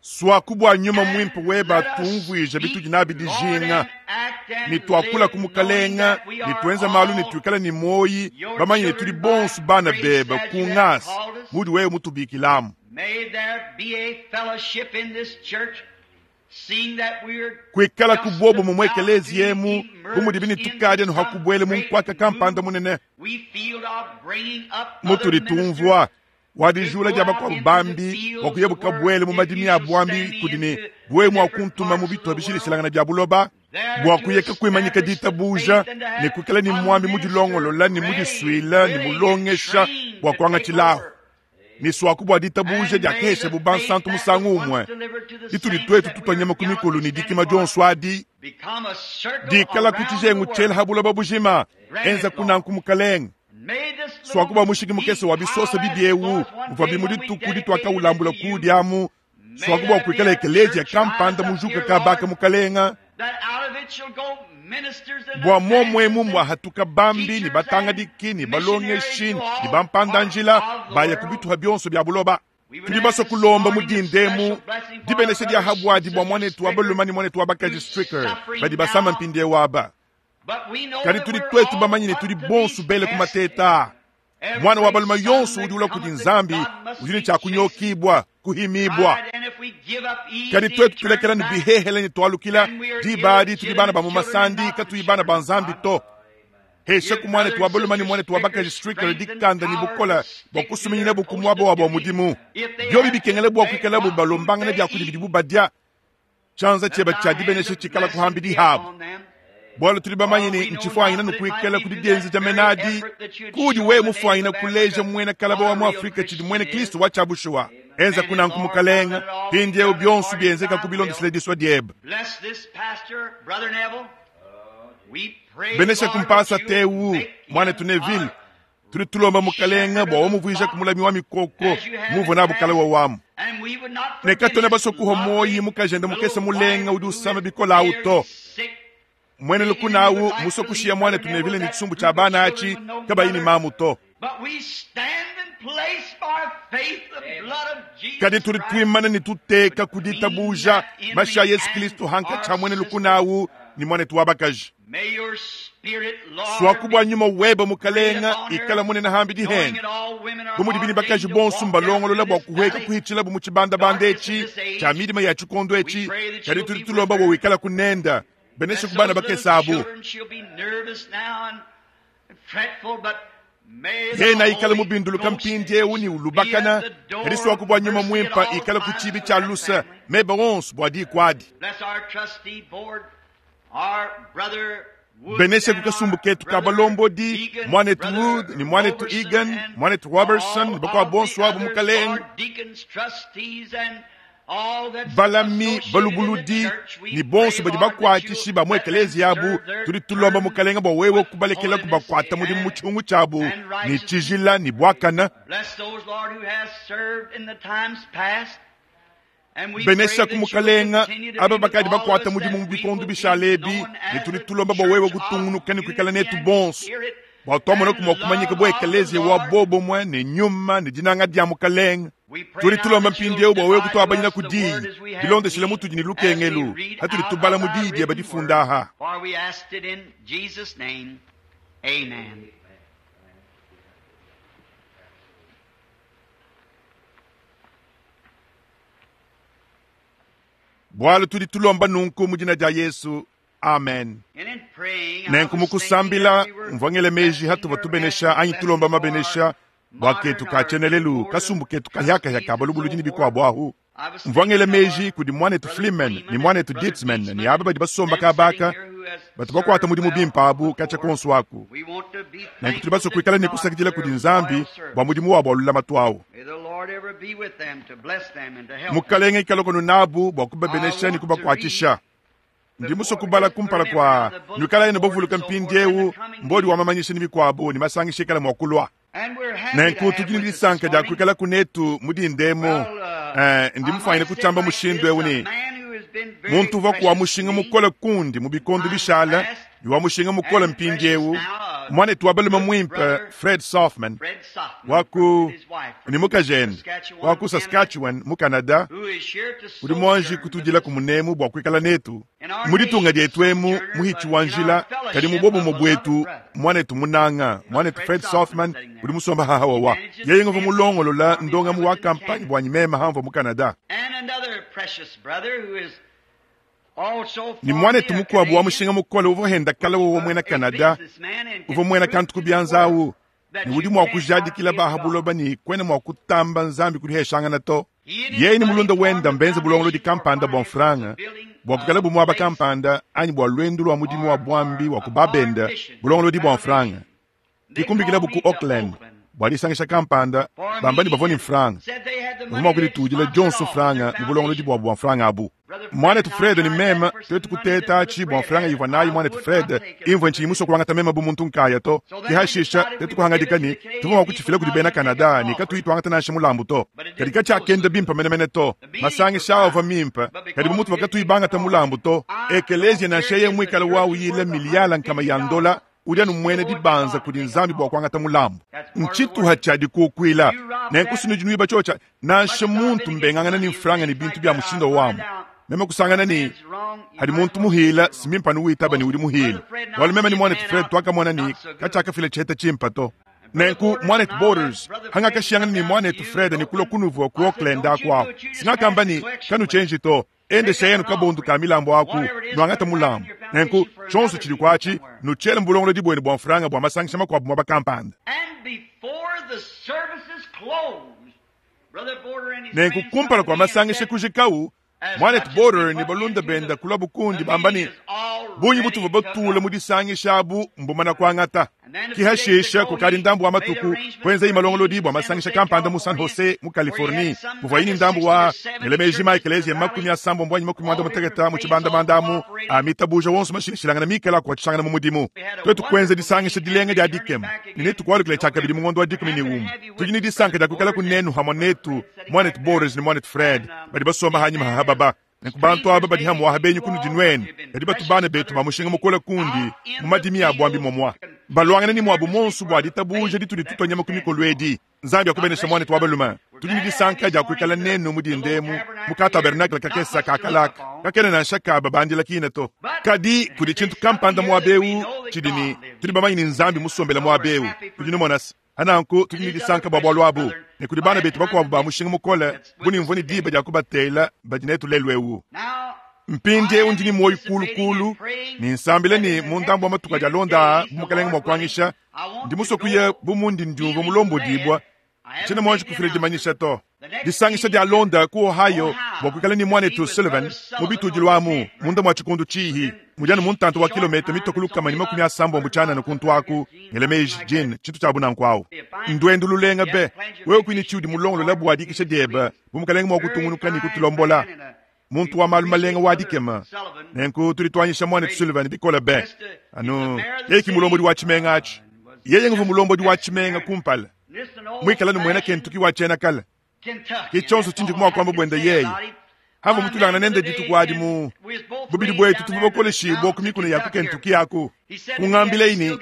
Swaku bua nyuma mwimpe weba Let us tumvuija speak, bitudi nabi Lord, dijinga. and act and Ne tuakula live ku mukalenga, knowing that we ne are tuenza malu ne all tuikala ne moyi, your bamanye ne tudi children bonso by bana grace bebe as ku you have ngasa called us. mudi wewe mutubikilamu. May there be a fellowship in this church, seeing that we're Kuikala ku just bobo mu about mwekelezi to yemu bu mudi emerge bini into tukadi anu some hakubuele mu great nkwaka kampanda move. munene We feel of bringing up other mutudi ministers tumvua wadijula dia bakuabu bambi wakuya bukabuele mu madimi a bwambi kudi ne bwe mwa kuntuma mu bitu bishilishelangana bya buloba bua kuyeka kuimanyika ditabuja ne kuikala ni mwambi mudilongolola ne mudisuila ne mulongesha bua kuangatshilaho ne swaku bua ditabuja dia kehesha bu bansantu musangu umue ditudi twetu tutwanyama ku mikolo ne dikima dionso adi become a circle dikala ku around tshijengu the tshiela world. ha buloba bujima enza kunanku mukalenga May this little swaku bua mushiki mukese wa bisosa pile bibiewu as was one muvua day bimu when we dituku dedicated ditwakaulambula it to you, kudiamu swaku bua kuikala ekelezia kampanda mujuka kabaka mukalenga that out of it shall go ministers and bua momwemu evangelists mwahatuka bambi ne batangadiki ne balongeshi ne bampandanjila baya ku bituha bionso bya buloba. Tudi baso kulomba mu dindemu dibenesha dia habwadi bua mwanetu wa baluma ne mwanetu wa bakaji Stricker badi basama mpindieu aba. But we know Kadi that tudi we're twetu all bamanye ne up tudi to bonso these bele ku tests. mateta. Every Mwana wa baluma son yonso that udi ula kudi cometh to Nzambi God must udi ne be tshia kunyokibwa kuhimibwa. tried, and if we give up easy Kadi twetu and turn tulekela ne back, bihehele ne twalukila then we are dibadi tudi bana ba mu illegitimate masandi children and not katuyi the bana ba children of Nzambi God. to. Hesha ku mwanetu wa baluma ne mwanetu wa bakaji Stricker dikanda ne bukola bua kusuminyina bu ku muaba wabo wa mudimu. Byobi bikengela bua kuikala bu balombangana bya kudi bidibu badia. Tshianza tshieba tshia dibenesha tshikala kuhambi dihabu. Bwalo tuli bamanye ne ntshifuanyina nukuikala kudi dienza dia menadi kudi we mufuanyina kuleja mwena kalaba wa mu Afrika tshidi mwene Kristo wa tshiabushuwa. Enza kunanku mukalenga mpindieu bionso bienzeka ku bilondesele disua diebe. Bless this pastor, Brother Neville. We pray, Benesha Lord, kumpasa that you tewu make him mwanetu Neville a tuli tulomba mukalenga bua wamuvuija kumulami wa mikoko muvua nabu kale wa wamu. And we would not Ne forget katona his basokuha lovely moyi mukajenda mukese little mulenga wife udi who usama is bikola very auto. sick. Mwene lukunawu musokushiya mwanetu Neville ne tshisumbu tshia bana achi kabayi ne mamu to. But we stand in place by faith the blood of Jesus Kadi tuli Christ. twimana ne tuteka ku ditabuja mashi a Yesu Kristo hanka tsha mwene lukunawu ni mwanetu wa bakaji. May your spirit, Lord, Swaku bua nyuma weba mukalenga be ikala munene hambi knowing dihende. that all women are Bu mudi bini bakaji ordained to bonso walk mbalongolola down bua this kuhweka valley. kuhitshila bu mu tshibandabanda etshi tshia midima ya tshikondo etshi kadi tudi tulomba bua wikala kunenda benesha Bless ku bana those little bakese abu. children, she'll be nervous now and fretful, but may the Yena ikala Holy mubinduluka Ghost mpindieu ni be ulubakana at the door kadi swaku bua nyuma of mercy mwimpa at all ikala ku times tshibi for tshia that lusa family. meba onso bua diku adi. Bless our trustee board, our brother Wood Benesha and ku kasumbu our ketu ka brother balombodi Egan, mwanetu brother Wood ni mwanetu Robertson, Egan and mwanetu Robertson all bakwa of the bonso abu others, mukalenga. Lord, deacons, trustees, and all that's Balami associated in the balubuludi church. We ni bonso pray, badi Lord, that bakuatshishi you ba mu let them ekelezia abu serve their tudi tulomba turn mukalenga bua wewe with kubalekela holiness, kubakuata mudimu mu amen, tshihungu tshiabu and ni righteousness. tshijila ni buakana. Bless those, Lord, who has served in the times past. And we pray Benesha that ku you will mukalenga continue to aba be with bakadi all of bakuata us, mudimu that mu we bikondo will be bishalebi known ne as tudi the tulomba bua wewe church of kutungunuka ne kuikala unity netu and bonso spirit bua twamona and kumua kumanyika love bua of the ekelezia wa Lord. bobomwe ne nyuma ne dinanga dia mukalenga. We pray Tudi now tulomba that you'll mpindieu bua wewe divide to kutuabanyina us ku the diyi word as we have bilondeshele need mutudi ne as we lukengelu read hatudi out tubala of mu thy diyi dieba written difunda word. aha. For we asked it in Jesus' name. Amen. Bwalo tudi tulomba nunku mu dina dia Yesu. Amen. And in praying, I Nenku was thinking mukusambila that we were mvwangele meji blessing hatuva or tubenesha asking anyi tulomba blessing for mabenesha our bua modern ketu ka or tshienelelu board of kasumbu ketu kahyakahya trustees ka and balubuludi so ne forth. bikuabu ahu. I was Mvwangele thinking of meji our kudi mwanetu brother Fleeman Freeman ni and mwanetu brother Dietzman ni Dietzman, aba badi basomba them sitting kabaka here who has batu bakuata served mudimu well bimpa abu katsha before. konso aku. We want to be Nenku tudi thankful baso to kuikala ne God for kusakidila their kudi Nzambi loyal bua service. mudimu wabu wa lulamatu awu. May the Lord ever be with them to bless them and to help them. Mukalenga ikala kono nabu bua I kubabenesha ne want to read kubakuatshisha. Ndi musue kubala kumpala kua nuikalayi ne bavuluka mpindieu mbodi wa mamanyisha ne mikuabu ne masangisha ikala mua kulua. Nenku tudi ne disanka dia kuikala kunetu mu dindemu. Eh, ndi mufanyine kutshiamba mushindu eu ne muntu uvua kuwa mushinga mukole kundi mu bikondo bishala ne wa mushinga mukole mpindieu mwanetu wa balume muimpe Fred Sothmann wa ku ni mukajende wa ku Saskatchewan mu Canada udi mwanji kutudila ku munemu bua kuikala netu mu ditunga dietu emu muhitshi wa njila kadi mu bobumo bwetu mwanetu munanga mwanetu Fred Sothmann udi musomba hahawawa yeye ngova mulongolola ndongamu wa kampanye bwanyi mema hamva mu Canada. Ni mwanetu mukuabu wa mushinga mukole uvua henda kala wowo mwena Canada uvua mwena kantu kubyanzawu ni udi mua kujadikila bahabuloba ni kwena mua kutamba nzambi kudiheshangana to. Yeye ni mulunda wenda mbenze bulongolo di kampanda bua mfranga bua kukala bumuaba kampanda anyi bua lwendu lwa mudimu wa bwambi wa kubabenda bulongolo di bua mfranga dikumbikila buku Auckland bua disangisha kampanda bamba ni bavua ni mfranga bavua mua kuditudila dionso franga ni bulongolo di bua bua mfranga abu. Mwanetu Fred ni mema twetu kuteta achi bua mfranga ivua nayi mwanetu Fred imvua nchi imuso kuangata mema bu muntu nkaya to kihashisha tetu kuhangadika ni tuvua mua kuchifila kudi bena Canada ni katuyi tuangata nansha mulambu to kadi katshiakenda bimpa menemene to masangisha awo avua mimpa kadi bu mutu vakatuyi bangata mulambu to ekelezia nansha ye mwikala wawu yila miliyala nkama ya ndola udi anu mwene dibanza kudi nzambi bua kuangata mulambu ntshituha tshia dikukuila nenkusunu dinuiba tshiotsha nansha muntu mbengangana ni mfranga ni bintu bia mushindo wamu meme kusangana ni hadi muntu muhila simimpanu witaba ni udi muhila wali meme ni mwanetu Fred twakamona ni katshiakafila tshiheta tshimpa to nenku mwanetu Borders hangakashiyangana ni mwanetu Fred ni kulo kunuvua ku Auckland akuaku singakamba ni kanu tshenji to endesha yenu kabundu ka milambo aku nwangata mulambo nenku tshonso tshidi kuatshi nutshele mbulongolo dibwene bua mfranga bua masangisha makuabu mua bakampanda. Nenku kumpala kua masangisha kujikau mwanetu Border ni balunda benda kula bukundi bamba ni bunyi butuva batula mu disangisha abu mbumana kuangata kihashisha kukali ndambu wa matuku kwenza imalongolo dibwa masangisha kampanda mu San Jose mu Californie muvua ini ndambu wa ngelemeji maekelezia makumi asambo mbwanyi makumi mwanda muteketa mu tshibandabanda amitabuja wonso mashinishilangana mikala kuatshishangana mu mudimu twetu kwenza disangisha dilenga dia dikema ni netu kualukila tshiakabidi mu ngondo wa dikumi ni umu tudi ni disanka dia kuikala kunenu hamwa netu mwanetu Borders ni mwanetu Fred badi basomba hanyima hababa nenku bantu aba badi hamwa habenyu kunu dinwene kadi batu bana betu bamushinga mukole kundi mu madimi abu ambi momwa balwangana ni mwabu monsu bua ditabuja ditudi tutonyama ku mikolo edi nzambi akubenesha mwanetu wa balume tudi ni disanka dia kuikala nenu mu dindemu mu ka tabernacle kakesa kakalaka kakene nansha kaba bandila kina to kadi kudi tshintu kampanda muabeu tshidi ni tudi bamanyi ni nzambi musombela muabeu tudi numonasa ananku tudi ni disanka bua bualu abu ne kudi bana betu bakuabu ba mushinga mukole buni mvua ni diba dia kubatela badi netu lelu ewu mpindiewu ndi ni moyo kulukulu ni nsambile ni mundambu wa matuka dia londa bu mukalenge mua kuangisha ndi musue kuya bu mundi ndiumvua mulombo dibwa tshina muanji kufila dimanyisha to disangisha dia londa ku Ohio bua kuikala ni mwanetu Sullivan mu bitudi amu munda mua tshikundu tshihi mudianu muntantu wa kilomita mitoko lukama ni makumi asambombo tshianana kuntu aku ngelemeji jin tshintu tshia bunanku awu ndwendu lulenga be wewe kwini tshiudi mulongolola bua dikisha dieba bu mukalenge mua kutungunuka ni kutulombola muntu wa malu malenga wa dikema nenku tudi tuanyisha mwanetu Sullivan bikola be anu yeye ki mulombodi wa tshimenga atshi yeye nguvu mulombodi wa tshimenga kumpala mwikala ni mwena Kentucky wa tshiena kala ke tshonso tshindi kumwa kwamba bwenda yeye hava mutulangana nende dituku adi mu bubidi bwetu tuvua bakoleshibwa ku mikuna ya ku Kentucky aku kungambile ini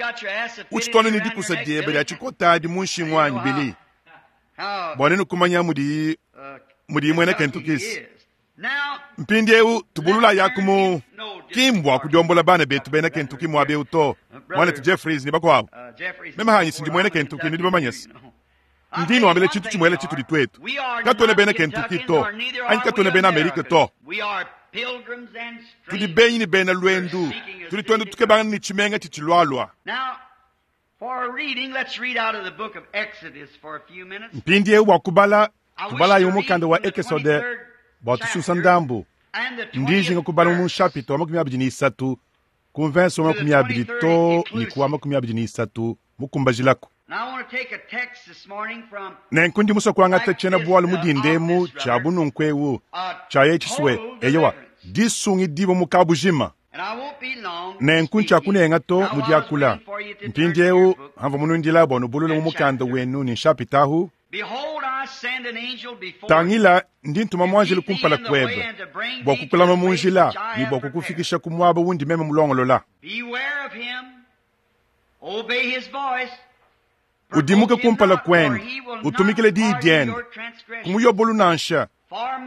utshitwana ni dikusa diebe dia tshikota adi mu nshingu wanyi bili bua nenu kumanya mudi mudi mwena Kentucky mpindiewu tubulula yaku mu kimbwa kudiombola bana betu bena Kentucky muabeu to mwanetu Jeffries ni bakuabu meme hanyi sindi mwena Kentucky nidi bamanyasa ndino ambele tshintu tshimuele tshitudi twetu katuena bena Kentucky to anyi katuena bena Amerika to tudi benyi ni bena lwendu tudi twenda tukebangana ni tshimenga tshitshilwalwa. Mpindiewu wa kubala tubalayi mu mukanda wa Ekesode bua tususa ndambu ndijinga kubala mu nshapito wa makumi abidi ni isatu ku mvenso wa makumi abidi to ni ku wa makumi abidi ni isatu mukumbajilako. Nenku ndi musue kuangata tshiena bualu mu dindemu tshia bununku ewu tshia ye tshisue eyowa disungi dibo mu kabujima. Nenku ntshiakunenga to mu diakula. Mpindieu hamvua munundila bua nubulule mu mukanda wenu ne nshapitahu. Tangila, ndi ntuma muanjelu kumpala kuebe bua kukulama mu njila ne bua kukufikisha ku muaba wundi meme mulongolola. Udimuke kumpala kuende, utumikile diyi diende, kumuyobolu nansha,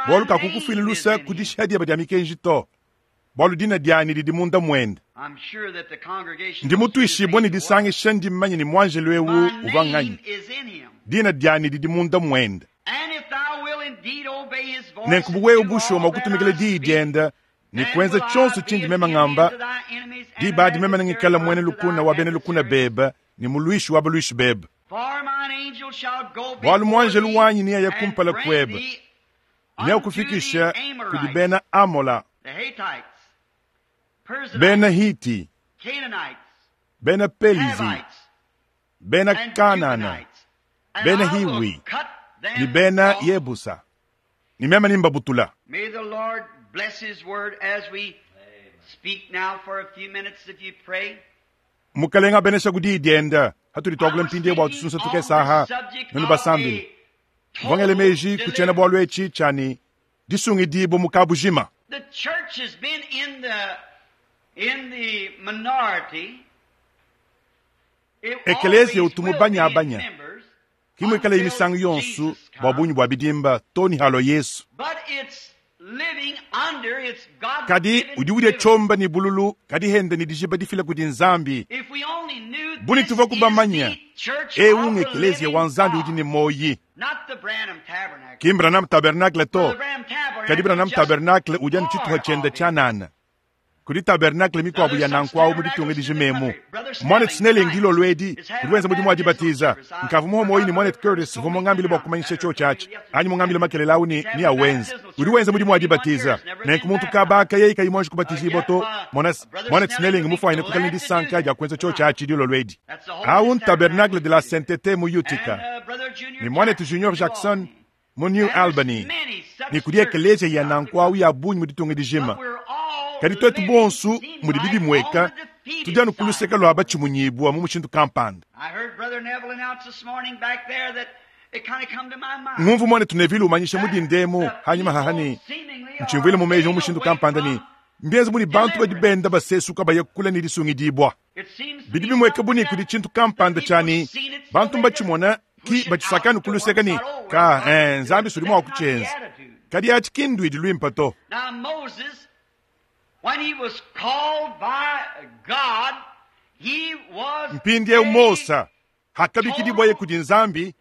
bualu kakukufuila luse ku dishiha diebe dia mikenji to, bualu dina dianyi didi munda muende. Ndi mutuishibue ne disangisha ndi mmanye ne muanjelu eu uvua nganyi. Dina dianyi didi munda muende. Nenku bu wewe bushuwa mua kutumikila diyi diende ne kuenza tshionso tshindi meme ngamba, diba adi meme nengikale muena lukuna wa bena lukuna bebe ne muluishi wa baluishi bebe. Bualu muanjelu wanyi neaye kumpala kuebe, neakufikishe kudi bena Amola, bena Hiti, bena Pelizi, bena Kanana, bena Hiwi ne bena Yebusa, ne meme nimbabutula. May the Lord bless His word as we speak now for a few minutes if you pray. Mukalenga abenesha ku diyi diende hatudi tuakula mpindieu bua tusunsa tukesaha nunu basambile. Mvongele meji ku tshiena-bualu etshi tshia ne disungidibua mu kabujima. The church has been in the in the minority. Ekelezia utu mubanyabanya kimwikale imisango yonso bua bungi bua bidimba to ni halo Yesu. But it's living under its God. Kadi udi udia tshomba ni bululu kadi hende ni dijiba difila kudi Nzambi. If we only knew Buni this tuva is kubamanya the church ewu of the ng'ekelezia wa living Nzambi God, udi ne moyi. not the Branham Tabernacle. Ki Branham Tabernacle to. The Branham Tabernacle Kadi Branham is just Tabernacle udi anu tshituha part tshiende of it. tshianana. Kudi tabernacle mikuabu ya nanku mu ditunga dijimemu. Mwanet Snelling dilolo edi udi wenza mudimu wa dibatiza. Nkavu muhomoyi ni Mwanet Curtis uvua mungambile bua kumanyisha chio tshiatshi. Anyi mungambile makelele awu ni ni awenza. Udi wenza mudimu wa dibatiza. Nenku muntu kabaka yeye kayi mwanji kubatizibwa to. Mwanet Mwanet Snelling mufuanyine kukala ni disanka dia kuenza chio tshiatshi dilolo edi. Awu tabernacle de la Sainteté mu Utica. And, uh, Brother Junior Ni Mwanet Junior Jackson mu New Albany. Ni kudi ekelezia ya nanku awu ya bungi mu ditunga dijima. Kadi twetu bonsu mudi bibi mweka tudi anu kuluseka lwa batshimunyibua mu mushindu kampanda. I heard Brother Neville announce this morning back there that it kind of come to my mind. Ngumvu mwane tunevile umanyisha mudi ndemu hanyuma hahani ntshimvuile mu meji mu mushindu kampanda ni mbienze mudi bantu badi benda basesuka baya kula ni disungidibua. It seems to Bidi me bimweka buni something kudi that tshintu kampanda the tshani people seen it, so bantu they mbatshimona just ki push it batshisakanu out to kuluseka one ni side. Oh, ka well, eh, Nzambi sudi mua that's not the kutshenza. attitude. Kadi atshi kindu idi luimpa to. Now Moses, when he was called by God, he was Mpindieu a Mosa hakabikidibwaye kudi Nzambi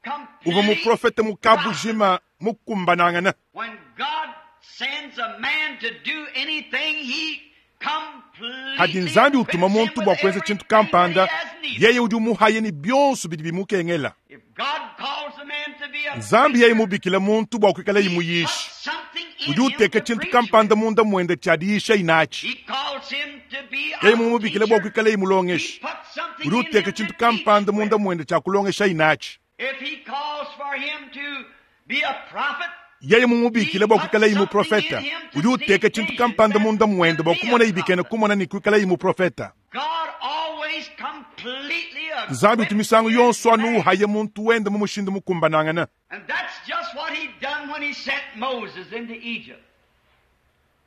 uvua muprofete mukabujima mukumbanangana. When God sends a man to do anything, he completely Hadi Nzambi utuma equips him muntu bua with kuenza tshintu everything that he kampanda has needed. yeye udi umuhaye ni bionso bidi bimukengela. If God calls a man to be a Nzambi yeye preacher, mubikila muntu bua kuikala he imuyishi. puts something in Udi him uteka to tshintu preach kampanda with. munda muende tshia diyisha inatshi. He calls him to be a Yeye mumubikila bua teacher. kuikala He imulongesha. puts something Udi in uteka him to tshintu teach kampanda with. munda muende tshia kulongesha inatshi. If he calls for him to be a prophet, Yeye mumubikila bua kuikala imuprofeta. Udi uteka tshintu kampanda munda muende bua kumona ibikena kumona ni kuikala imuprofeta. God always completely Nzambi utu misangu equips yonso his anu man. uhaye muntu wende mu mushindu mukumbanangana. And that's just what he done when he sent Moses into Egypt.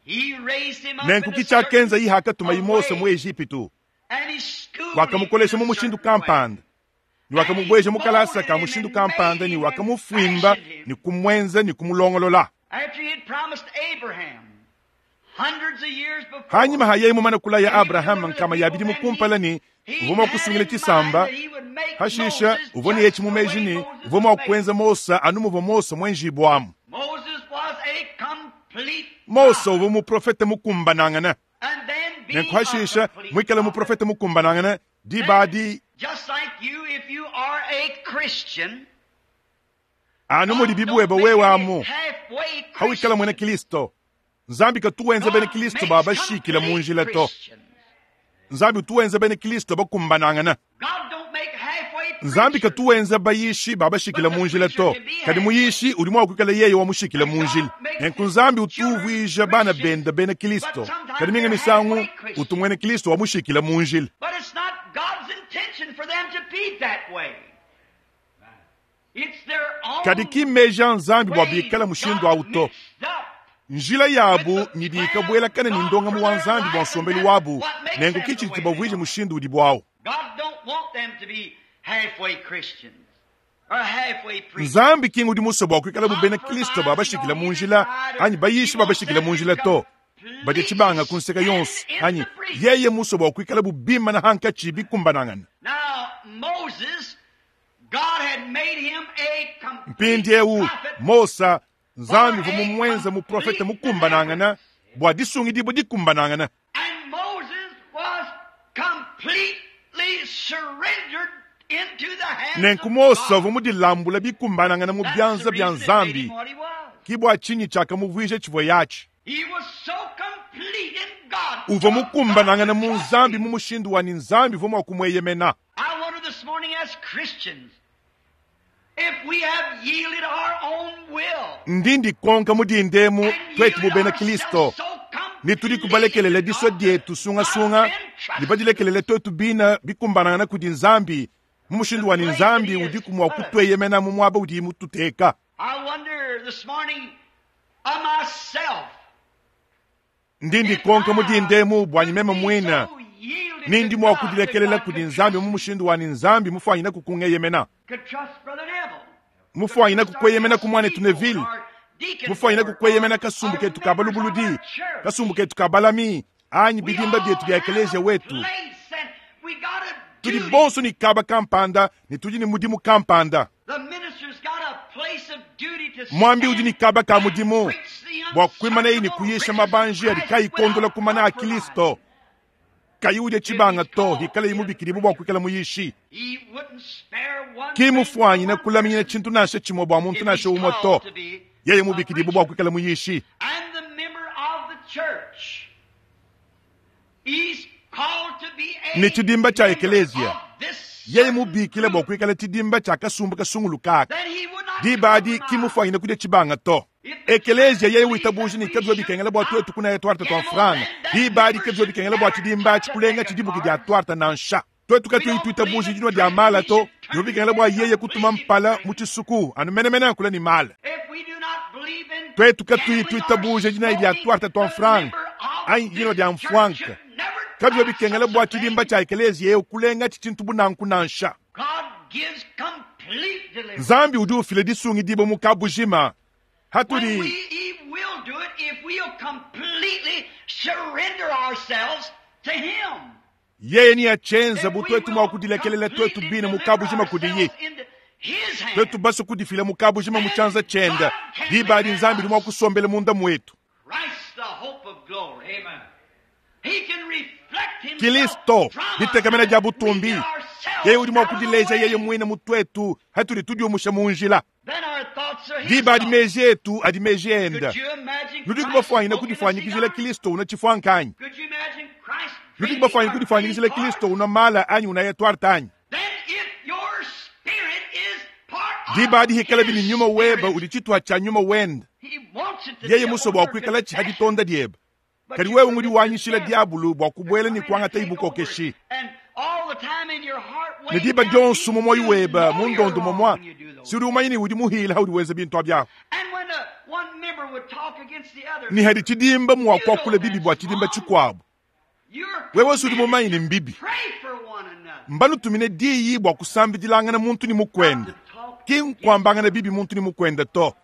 He raised him up Nenku in a ki tshiakenza certain iye hakatuma Mose mu way, Ejipitu. and he schooled him in Wakamukolesha a mu mushindu certain way. kampanda. Ni wakamubweja mu kalasa ka mushindu kampanda ni wakamufuimba ni kumwenza ni kumulongolola. After he had promised Abraham hundreds of years before, Hanyuma haye mumana kula ya Abrahama nkama ya bidimu kumpala ni uvua mua kusungila tshisamba hashisha uvua ni yetshi mumeji ni uvua mua kuenza Mosa anu muvua Mosa mwenjibwamu. Moses was a complete Mosa prophet. uvua muprofete mukumbanangana. And then being Nenku hashisha a complete mwikale prophet, muprofete mukumbanangana diba adi just like you, if you are a Christian, anu mudi God bibuweba don't make wewe any amu halfway hawikala mwena Christians. Kristo. Nzambi katuwenza bene God Kristo makes babashikila mu complete njila to. Christians. Nzambi tuwenza bene Kristo bakumbanangana. God don't make Nzambi katuwenza bayishi babashikila munjila to kadi muyishi udi mua kuikala yeye wamushikila munjila. Nenku Nzambi utuvuija bana benda bena Kristo, kadi minga misangu utumwene Kristo wamushikila munjila. Kadi kimeja Nzambi bua bikala mushindu awu to. Njila yabu nyidi ikabwelakana ni ndongamu wa Nzambi bua nsombelu wabu, nenku kichidi bavuije mushindu udi bwawo. Nzambi kingu udi musue bua kuikala bena Kristo babashikila munjila anyi bayishi babashikila munjila to. Badi chibanga kunseka yonso anyi yeye musue bua kuikala bubima na hankachi bikumbanangana. Mpindi eu Mosa Nzambi vumu mwenza mu profeta mukumbanangana bua disungidibwa dikumbanangana. Nenku Mosa vumu dilambula bikumbanangana mu byanza bya Nzambi kibwa chinyi chakamuvuija chivua yachi. Uvua mukumbanangana mu Nzambi mu mushindu wa ni Nzambi vumu wakumweyemena. Ndindi konka mudindemu twetu bubena Kristo ni tudi kubalekelela diswa dietu sungasunga ni badilekelele twetu bina bikumbanangana kudi Nzambi mu mushindu wa ni Nzambi udi kumwa kutweyemena mu mwaba udi mututeka. Ndindi konka mudindemu bwanyi meme mwina nindi mwa kudilekelela kudi Nzambi mu mushindu wa ni Nzambi mufwanyina kukungeyemena. Mufwanyina kukweyemena kumwane Tuneville. Mufwanyina kukweyemena kasumbu ketu kabalubuludi, kasumbu ketu kabalami, anyi bidimba byetu bya ekelesia wetu. Tudi bonso ni kaba kampanda, ni tudi ni mudimu kampanda. Mwambi udi ni kaba ka mudimu bua kuimana ni kuyisha mabanji adi kayikondola kumana a Kristo. Kayude chibanga to hikala imubikiribu bua kuikala muyishi. Kimufwanyina kulaminya chintu nashe chimwe bua muntu nashe umwe to. Yeye mubikiribu bua kuikala muyishi. Ni chidimba cha ekelesia. Yeye mubikile bua kuikala chidimba cha kasumbu kasungulukaka. Dibadi kimufwanyina kudia chibanga to. Ekelesia yeye witabuji ni kabzo bikengela bua twetu kuna etwarta twa franga. Dibadi kabzo bikengela bua chidimba chikulenga chidibuki dia twarta nansha. Twetu katu ituitabuji dinwa dia mala to. Yobikengela bua yeye kutuma mpala muchisuku anu menemene kula ni mala. Twetu katu ituitabuji dina dia twarta twa franga. Ai dinwa dia mfwanka. Kabzo bikengela bua chidimba cha ekelesia yeye kulenga chichintu bunanku nansha. Nzambi udi ufile disungi dibo mukabujima. Haturi. We, he will do it if we'll completely surrender ourselves to him. Yeye ni achenza butwetu mwa kudilekelela twetu bina mukabujima kudiyi. Twetu baso kudifila mukabujima muchanza chenda. Dibadi Nzambi mwa kusombele munda mwetu. Kristo ditekamena dia butumbi. Yeye udi mwa kudileja yeye mwina mutwetu haturi tudiomusha munjila. Dibadi meji etu adi meji enda. Nudi kubafwanyina kudifwanyikizila Kristo una chifwankanyi. Nudi kubafwanyina kudifwanyikizila Kristo una mala anyi una yetwarta anyi. Dibadi hikala bini nyuma weba udi chitwa cha nyuma wenda. Yeye muso bwa kuikala chihaditonda dieba. Kadi wewe ngudi wanyishila diabulu bwa kubwela ni kwangata ibukokeshi. Ne diba dionso mu moyo weba mundondo momwa si udi umanyini udi muhila udi weza bintu abyako. Ni hadi chidimba mwa kwakula bibi bwa chidimba chikwabo. Wewe si udi mumanyini mbibi. Mbanu tumine diyi bwa kusambidilangana muntu ni mukwenda. Ki nkwambangana bibi muntu ni mukwenda to.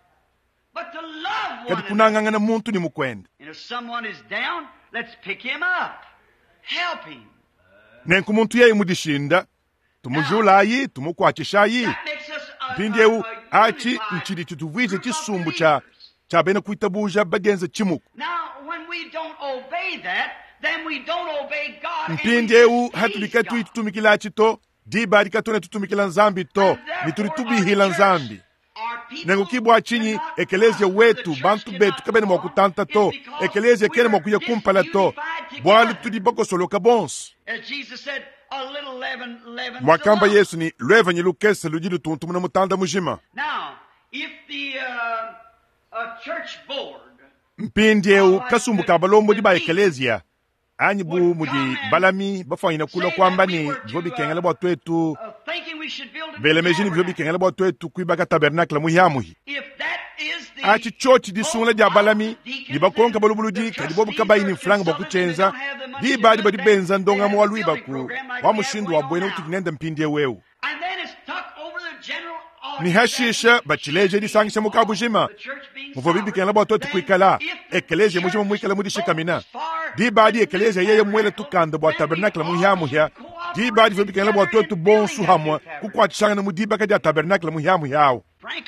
Kadi kunangangana muntu ni mukwenda. Nenku muntu yeye mudishinda tumujulayi tumukwachishayi. Mpindiewu achi nchidi chituvuije chisumbu cha cha bena kuitabuja bagenza chimuku. Mpindiewu hatulika tuitutumikila to diba dikatone tutumikila Nzambi to nitulitubihila Nzambi. Nengu kibwa chinyi ekelezia wetu bantu betu kabene mwa kutanta to ekelezia kene mwa kuya kumpala to bwalu tudi bakosoloka bonso. Mwakamba Yesu ni lwevanyi lukese ludi lutuntumuna mutanda mujima. Mpindi eu kasumbu ka balombodi ba ekelezia anyi bu mudi balami bafwanyina kula kwamba ni bivua bikengela bua twetu belemeji ni bivua bikengela bua twetu kuibaka tabernacle muhiamuhi. Achi chochi disungula dia balami ni bakonka balubuludi kadi bobu kabayi ni mfulanga bua kuchenza dibadi badi benza ndongamu wa lwibaku wa mushindu wa bwene utudi nende mpindi eu. Ni hashisha bachileje disangisha mukabujima muvua bibikengela bua twetu kuikala ekelezia mujima muikala mudishikamina dibadi ekelezia yeye mwele tukanda bua tabernacle muhiamuhia dibadi vua bikengela bua twetu bonsu hamwa kukwatishangana mu dibaka dia tabernacle muhiamuhia awo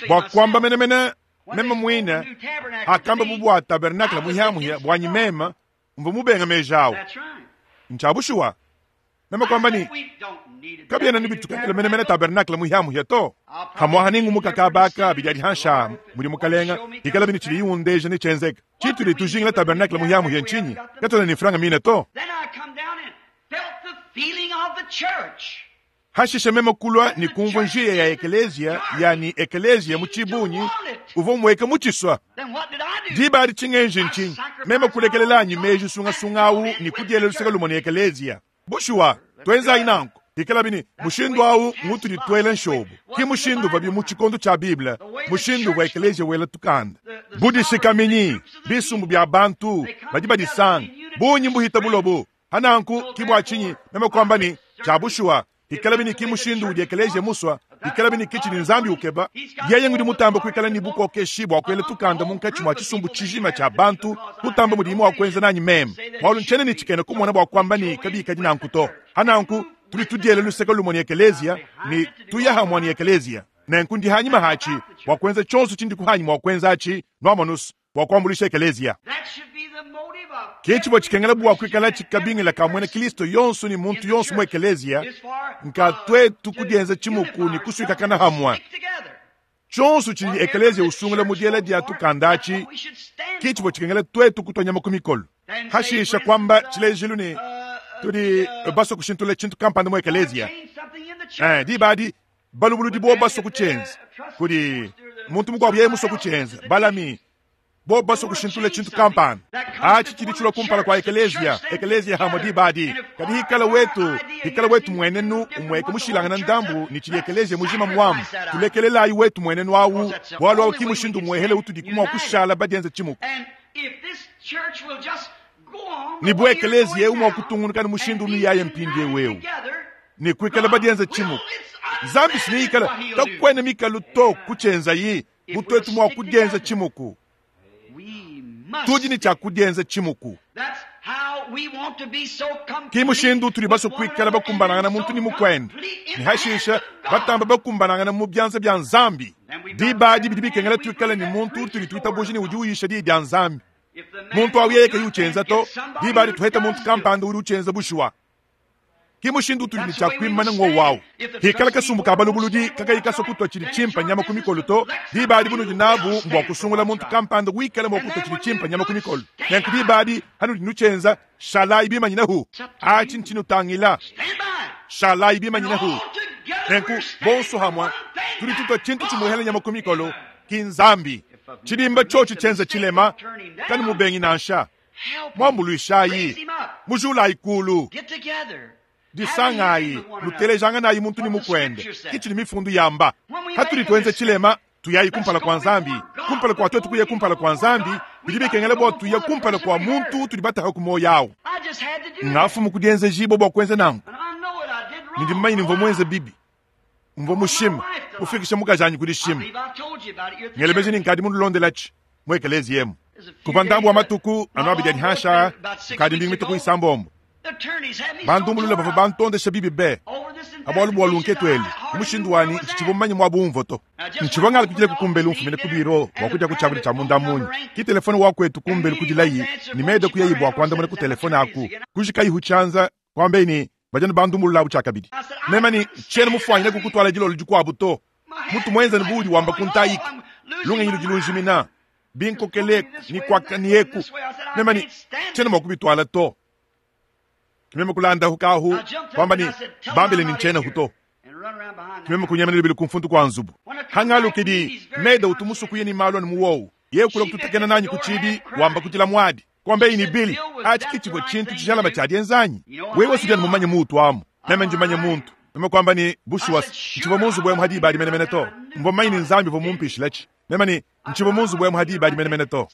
bua kwamba menemene mema mwina akamba bu bua tabernacle muhiamuhia bwanyi mema mvua mubenga meja awo nchabushuwa mema kwamba ni kabyena nibitukakila menemene tabernacle muhiamuhia to hamwaha ningumuka kabaka bidiadi hansha muli mukalenga ikala bini chili iwundeja ni chenzeka chitu litujingila tabernacle muhiamuhia nchinyi katona ni franga mine to hashisha mema kulwa ni kumva njia ya ekelezia yani ekelezia muchibunyi uvo mweka muchiswa dibadi chingenji nchinyi mema kulekelelanyi meji sungasungawu ni kudyela luseka lumwe ni ekelezia bushuwa twenzayi nanko ikala bini mushindu awu ngutu ditwele nshobu ki mushindu vabi mu tshikondo tshia biblia mushindu wa ekelezia wela tukanda budishikaminyi bisumbu bya bantu badi badisanga bunyi mbuhita bulobu hananku kibwa chinyi mema kwamba ni tshia bushuwa ikala bini ki mushindu udi ekelezia muswa ikala bini kichi ni nzambi ukeba yeye ngudi mutamba kuikala ni bukokeshi bwa kwela tukanda munkatshi mwa tshisumbu tshijima tshia bantu kutamba mudimu wa kwenza nanyi meme mwalu ntshene ni tshikene kumona bwa kwamba ni kabikadi nanku to hananku tuli tudiele luseka lumwe ni ekelezia ni tuyahamwa ni ekelezia nenku ndi hanyima hachi bwa kwenza tshonso tshindi kuhanyima wa kwenza achi nwamanusu bwa kuambulisha ekelezia kichi bwa tshikengela bwa kuikala tshikabingila ka mwene Kristo yonso ni muntu yonso mu ekelezia nka twetu kudienza tshimuku ni kusuikakana hamwa tshonso tshidi ekelezia usungula mudiela dia tukandachi kichi bwa tshikengela twetu kutwanyama ku mikolo hashisha kwamba tshilejilu ni tudi baso kushintula tshintu kampanda mu ekelezia eh dibadi balubuludi bo baso kuchenza kudi muntu mukwabu yeye muso kuchenza balami bo baso kushintula tshintu kampanda achi chili chula kumpala kwa ekelezia ekelezia hamo dibadi kadi hikala wetu hikala wetu mwenenu umweke mushilangana ndambu ni chili ekelezia mujima mwamu tulekelelayi wetu mwenenu awu bwalu awu kimushindu mwehele utudi kumwa kushala badienza chimuku ni bwe ekelezia umwa kutungunuka ni mushindu unu yaye mpindi wewu ni kuikala badienza chimuku nzambi siniikala takwene mikalu to kuchenza yi butwetu mwa kudienza chimuku tudi ni tshia kudienza chimuku kimushindu tuli baso kuikala bakumbanangana muntu ni mukwenda ni hashisha batamba bakumbanangana mu byanza bya nzambi dibadi bidi bikengela tuikala ni muntu tuli tuitabuji ni udi uyisha di dia nzambi muntu awu yeye kayi to dibadi tuheta muntu kampanda udi uchenza bushuwa kimushindu tuli ni tshia kuimana ngo wawu hikala kasumbu ka balubuludi kakayi kaso kutwa tshili tshimpa nyama ku mikolo to dibadi bunudi nabu mbwa kusungula muntu kampanda wikala mbwa kutwa tshili tshimpa nyama ku mikolo nenku dibadi hanudi nuchenza shalayi bimanyinahu achi ntshinu tangila shalayi bimanyinahu nenku bonso hamwa tuli tutwa tshintu tshimuhela nyama ku mikolo kinzambi tshidimba tshotshi tshenza tshilema kani mubengi nansha mwambuluishayi mujulayi kulu disangayi lutelejanganayi muntu ni mukwende kichi ni mifundu yamba hatuli twenze tshilema tuyayi kumpala kwa nzambi kumpala kwa twetu kuye kumpala kwa nzambi bidi bikengela bwa tuye kumpala kwa muntu tudi bataha ku moyo awo ngafu mukudienza jibo bwa kwenza nangu nindi mmanyi nimvo mwenze bibi mvo mushima ufikisha mukajanyi kudishima ngelemeji ninkadi mundulondelachi mwekelezi yemu kuva ndambu wa matuku anu abidi hasha kadi mbingi mituku isambombo bandumbulula bava bantondesha bibi be abwalu bwa lunketweli umushindu wani nchichivo mmanyi mwa bumvo to nchivo ngala kujile kukumbeli umfumile kubiro wakuja kuchavuli cha munda munyi ki telefone wakwetu kumbeli kujilayi ni mede kuyeyibwa kwandamuna ku telefone aku kujikayi chanza kwambeni bajani bandumbulula abu chakabidi nemani chene mufwanyile kukutwala jilolo jikwabu to mutu mwenza ni budi wamba kuntayika lungenyi lujilunjimina binkokeleku ni kwaka ni eku nemani chene mwakubitwala to Kimeme kulanda hukahu kwamba ni bambile ni nchena huto. Kimeme kunyemene libili kumfuntu kwa nzubu. Hangalukidi meda utumusukuye ni malo ni muwowu. Ye kula kututekena nanyi kuchibi wamba kutila mwadi. Kwambe ini bili achi kichibwe chintu chishalaba cha dienzanyi. Wewe sujani mumanye mutu amu. Meme njimanye muntu. Meme kwamba ni bushuwas nchibo munzu bwe muhadi badi mene mene to. Mbo maini nzambi vo mumpishi lechi. Meme ni nchibo munzu bwe muhadi badi mene mene to.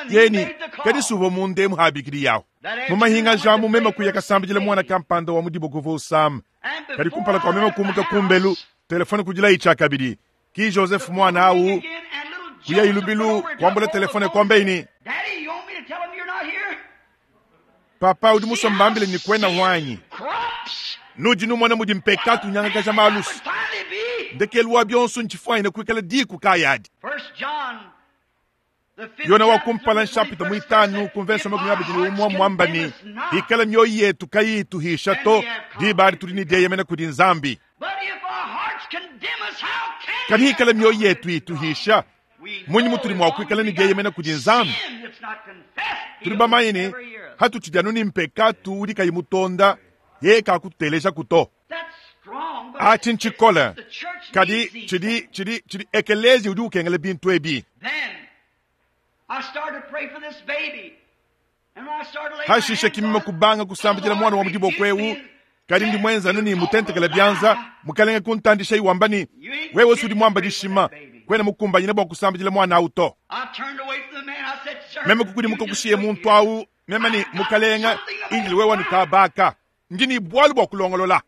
Yeni kadi suvo munde muhabikiri yao. Mumahinga jamu meme kuya kasambijile mwana kampanda wa mudibo kuvo sam. Kadi kumpala kwa meme kumuka kumbelu telefone kujila ichakabidi. Ki Joseph mwana au kuya ilubilu kwambule telefone kwambe ini. Papa udi musombambile ni kwena wanyi. Nuji numwana mudi mpekatu nyanga kaja malusu. Ndekelu wa bionsu nchifwaine kuikala diku kayadi. Yona wa kumpala nshapita mwitanu kumvenso makumi abidi ni umwa mwambani. Ikala mioyo yetu kayitu hisha to dibari tulini dieyemena kudi nzambi. Kadi ikala mioyo yetu ituhisha. Munyi mutuli mwa kuikala ni dieyemena kudi nzambi. Tuli bamayini hatu chijanuni mpekatu udi kayimutonda yeka kuteleja kuto. Achi nchikola kadi chidi chidi chidi ekelezi udi ukengele bintu ebi. Hashishe kimima kubanga kusambijila mwana wa mudibo kwewu kadi ndi mwenza nuni mutentekele byanza mukalenge kuntandisha iwambani wewe sudi mwamba dishima kwena mukumbanyine bwa kusambijila mwana auto. Meme kukudi mukakushiye muntu au meme ni mukalenga injili wewe nukabaka ndini bwalu bwa kulongolola.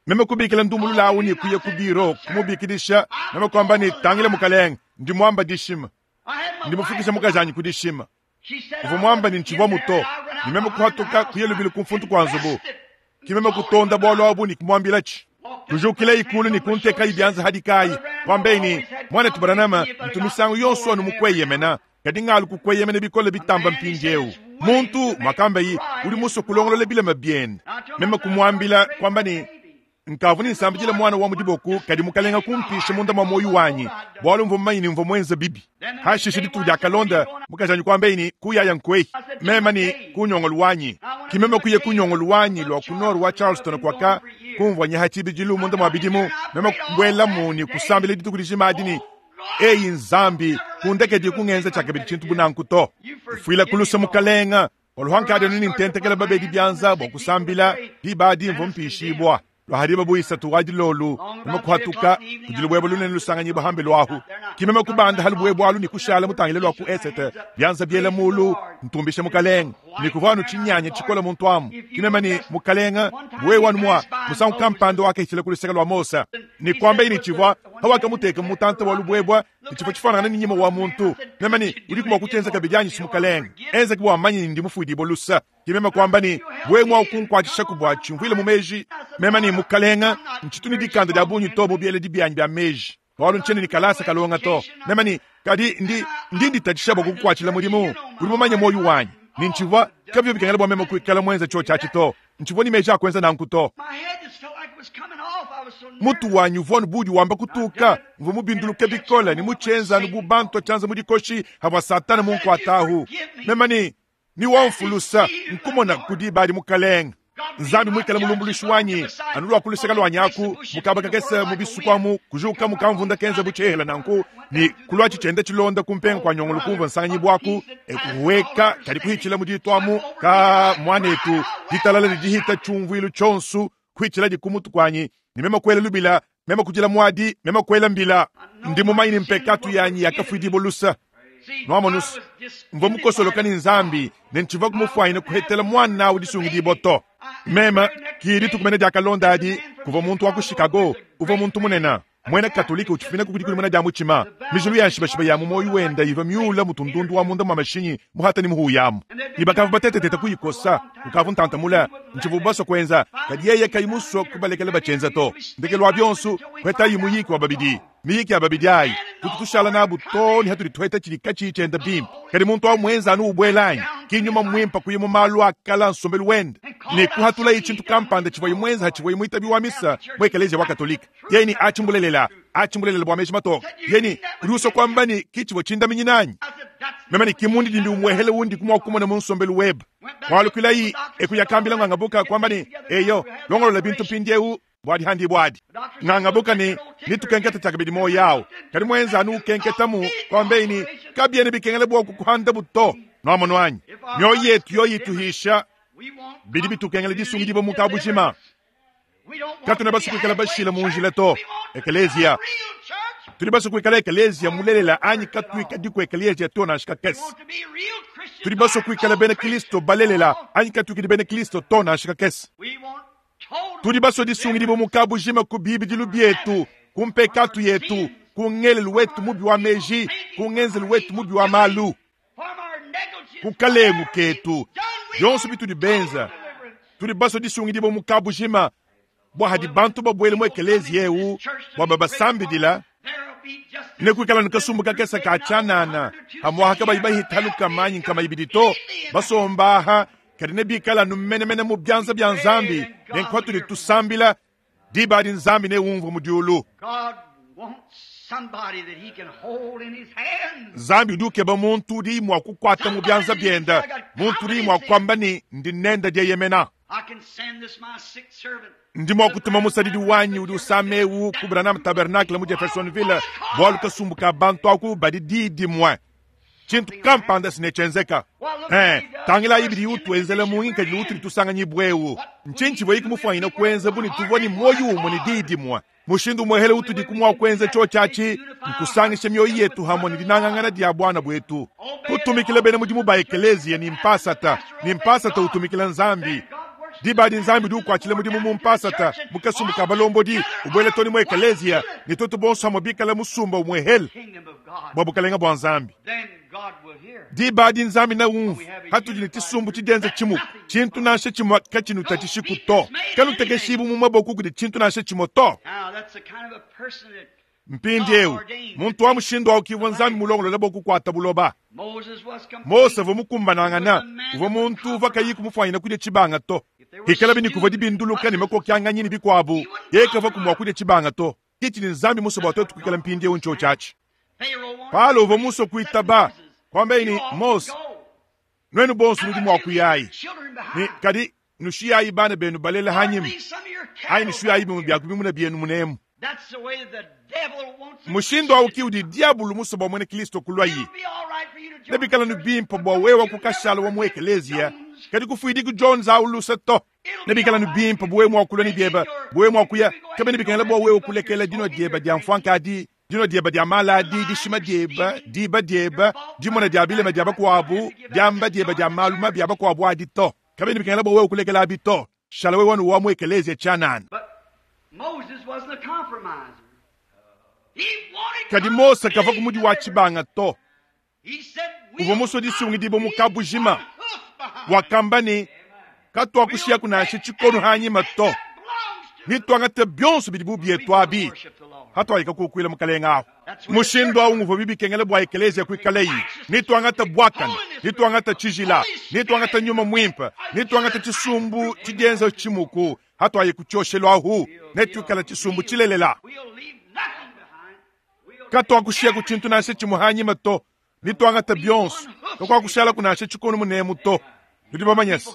Meme kubikila ndumulula au ni kuye kubiro kumubikidisha meme kwamba ni tangile mukalenga ndi mwamba dishima ndi mufikisha mukajanyi kudishima uvo mwamba ni nchivwa muto ni meme kuhatuka kuye lubili kumfuntu kwa nzubu kimeme kutonda bwalu abu ni kumwambila chi tujukile ikulu ni kunteka ibyanza hadikayi kwambeni mwana tubaranama mtumisangu yonso anu mukweyemena kadi ngalu kukweyemena bikole bitamba mpinjewu muntu mwakambayi uli muso kulongolola bilema byene meme kumwambila kwamba ni nkavu ni nsambijile mwana wa mudiboku kadi mukalenga kumpisha munda mwa moyo wanyi bwalu mvo mmanyi mvo mwenza bibi hashishe ditu dia kalonda mukajanyi kwambeini kuyaya nkwei mema ni kunyongolu wanyi kimeme kuye kunyongolu wanyi lwa kunoru wa Charleston kwaka kumvwa nyahachibijilu munda mwa bidimu meme kubwelamu ni kusambile ditu kudishima adini eyi nzambi kundekedi kungenza chakabidi chintu bunanku to fuila kulusa mukalenga oluhankadi nini ntentekela babedi byanza bwa kusambila dibadi mvo mpishibwa lwahariba buisatu wadilolu meme kuhatuka kudilubwebo lunene lusanganyibwa hambe lwahu kimeme kubanda halubwebo alu ni kushala mutangile lwaku esete byanza byela mulu ntumbishe mukalenga ni kuvanu chinyanya chikola muntu amu kimeme ni mukalenga bwe wanu mwa musangu kampando wakahitile kuluseka lwa Mosa ni kwamba ini chivwa hawakamuteka mutanta wa lubwebwa ni chifo chifanana ni nyima wa muntu meme ni uli kumwa kutenza kabidyanyi simukalenga enza kubwa manyi ndi mufuidibo lusa kimeme kwamba ni bwe mwa ukunkwachisha kubwa chimvwile mumeji meme ni mukalenga nchituni dikanda dya bunyu to mubyele dibyanyi bya meji walu nchene ni kalasa kalonga to meme ni kadi ndi ndi nditachisha bwa kukwachila mulimu uli mumanye moyo wanyi ni nchivwa kabyo bikangela bwa meme kuikala mwenza cho chachi to nchivwa ni meji akwenza nanku to mutu wanyu vonu budi wamba kutuka mvu mubinduluke bikola ni muchenza ni bubantu chanza mudikoshi habwa satana munkwatahu mema ni ni wamfulusa nkumona kudibali mukalenga nzambi mwikala mulumbulishi wanyi anulwa kuluseka lwanyaku mukaba kakesa mubisukwamu kujuka mukamvunda kenza buchehela nanku ni kulwa chichenda chilonda kumpenga kwa nyongolo kumva nsanganyi bwaku ekuweka kali kuhichila muditwamu ka mwanetu ditalala lidihita chumvwilu chonsu kuhichila dikumutu kwanyi ni mema kwela lubila mema kujila mwadi mema kwela mbila ndi mumaini mpekatu yanyi yakafuidibo lusa nwamonus mvo mukosoloka ni nzambi nenchiva kumufwaine kuhetela mwana udisungidibo to mema kili tukumene diakalonda adi kuva muntu wa ku Chicago uva muntu munena mwena katolika uchifina kukudi kuli mwena dia muchima mijulu ya nshibashiba ya mumoyo wenda iva myula mutundundu wa munda mwa mashinyi muhata ni muhuyamu ni bakavu bateteteta kuyikosa ukavu ntantamula nchivu baso kwenza kadi yeye kayimuso kubalekela bachenza to ndekelo wa byonsu kweta yimuyiki wa babidi miyiki ya babidi ayi tutu tushala nabu to ni hatuli tweta chilika chichenda bimpa kadi muntu wa mwenza anu ubwelanyi kinyuma mwimpa kuyimu malu akala nsombelu wenda ni kuhatula ichintu kampanda chivwa imwenza hachivwa imwitabi wa misa mwekelezia wa katolika yeni achimbulelela Achi mulelela bua meji matoka yeni udi usua kuamba ne kitshivua tshindaminyina anyi meme ne kimundi dindi umuehele wundi kumua kumona mu nsombelu webe walukilayi ekuyakambila ngangabuka kwamba ne eyo longolola bintu mpindiewu bwadi handi bwadi ngangabuka ne nitukenketa tshiakabidi moyo yawu kadi mwenza anu ukenketamu kwambeini kabiene bikengela bua kukuhanda buto nwamonu anyi mioyo yetu yoyi ituhisha bidi bitukengela disungidibwa mu kabujima katuna basukuikala bashila munjila to ekelezia tuli basukuikala ekelezia mulelela anyi katuikadiku ekelezia to nansha kakese tuli basukuikala bena kristo balelela anyi katuikadi bena kristo to nansha kakese tudi basua disungidibwa mu kabujima ku bibidilu bietu ku mpekatu yetu ku ngelelu wetu mubi wa meji ku ngenzelu wetu mubi wa malu ku kalengu ketu byonso bitudi benza tudi basua disungidibwa mu kabujima bua hadi bantu babuele mu ekelezia eu bua babasambidila ne kuikala ne kasumbu kakese ka tshianana hamuaha kabayi bahitaluka manyi nkama ibidi to basombaha kadi ne bikala nu menemene mu byanza bya nzambi ne nkwatudi tusambila diba adi nzambi ne umvua mu diulu nzambi udi ukeba muntu udi mua kukwata mu byanza byenda muntu udi mua kuamba ni ndi nenda dieyemena ndi mua kutuma musadidi wanyi udi usama ewu ku Branham Tabernacle mu Jeffersonville bualu kasumbu ka bantu aku badi didi mue tshintu kampanda sinetshenzeka eh tangila ibidi utuenzela mungi kadi utuli tusanganyibwa ewu ntshinyi tshivua ikumufwanyina kuenza buni tuvua ni moyo umwe ni didi mue mushindu muehele utudi kumua kuenza cho tshiatshi nkusangisha mioyo yetu hamwe ni dinangangana dia bwana bwetu kutumikila bena mudimu ba ekelezia ni mpasata ni mpasata utumikila nzambi diba di nzambi udi ukuatshila mudimu mu mpasata mukasumbu ka balombodi ubuele toni mu ekelezia ni tutu bonso hamwe bikala musumba umuehele bua bukalenga bua nzambi diba adi nzambi na umvu hatudi ne tshisumbu tshidienza tshimuku tshintu nansha tshimue katshinutathishiku to kanutekeshibu mu maboko kudi tshintu nansha tshimue to mpindiewu muntu wa mushindu awu kivua nzambi mulongolola bua kukuata buloba Mose uvua mukumbanangana uvua muntu uvua kayi kumufwanyina kudia tshibanga to hikala bini kuvua dibinduluka ne makokianganyi ne bikuabu ye kavua kumua kudia tshibanga to kitshi ni nzambi muso bua tuetu kuikala mpindiewu ncho tshiatshi Paulo uvua muso kuitaba kwambeini Mose nwenu bonso nudi mua kuyayi ni kadi nushiyayi bana benu balela hanyima ayi nushiyayi bimwe bya kubimuna byenu munemu mushindu awu udi diabulu muso bua mwene kristo kulwayi nebikala nubimpa bua wewa kukashala wa mu ekelezia kadi kufuidiku Jones awu lusa to nebikala nubimpa buwe mua kulwa ni byeba buwe mua kuya kabe nebikala bua wewe kulekela dino dyeba dya mfwankadi dino dyeba dya maladi dishima dyeba diba dyeba dimona dya bilema dya bakuabu dyamba dyeba dya maluma bya bakuabu adi to kabe nebikala bua wewe kulekela abi to shala wewe wanu wa mu ekelezia tshianana Moses wasn't a compromiser. He wanted kadi Mose kava kumudi wa tshibanga to He said, uvua musue disungidibwa mu kabujima wakamba ni katuakushiya kunansha tshikonu hanyima to nituangate byonso bidi bubietu abi hatuayika kukuila mukalenga aho mushindu awu nguvua bibikengela bua ekelezia kuikaleyi nituangata bwakana nituangata tshijila nituangata nyuma mwimpa nituangata tshisumbu tshidienza tshimuku hatuaye kutshioshelu ahu netuikala tshisumbu tshilelela We'll leave nothing behind. We'll katuakushiya ku tshintu nansha tshimue hanyima to nituangata byonso kakuakushala kunansha tshikonu munemu to tudi bamanyese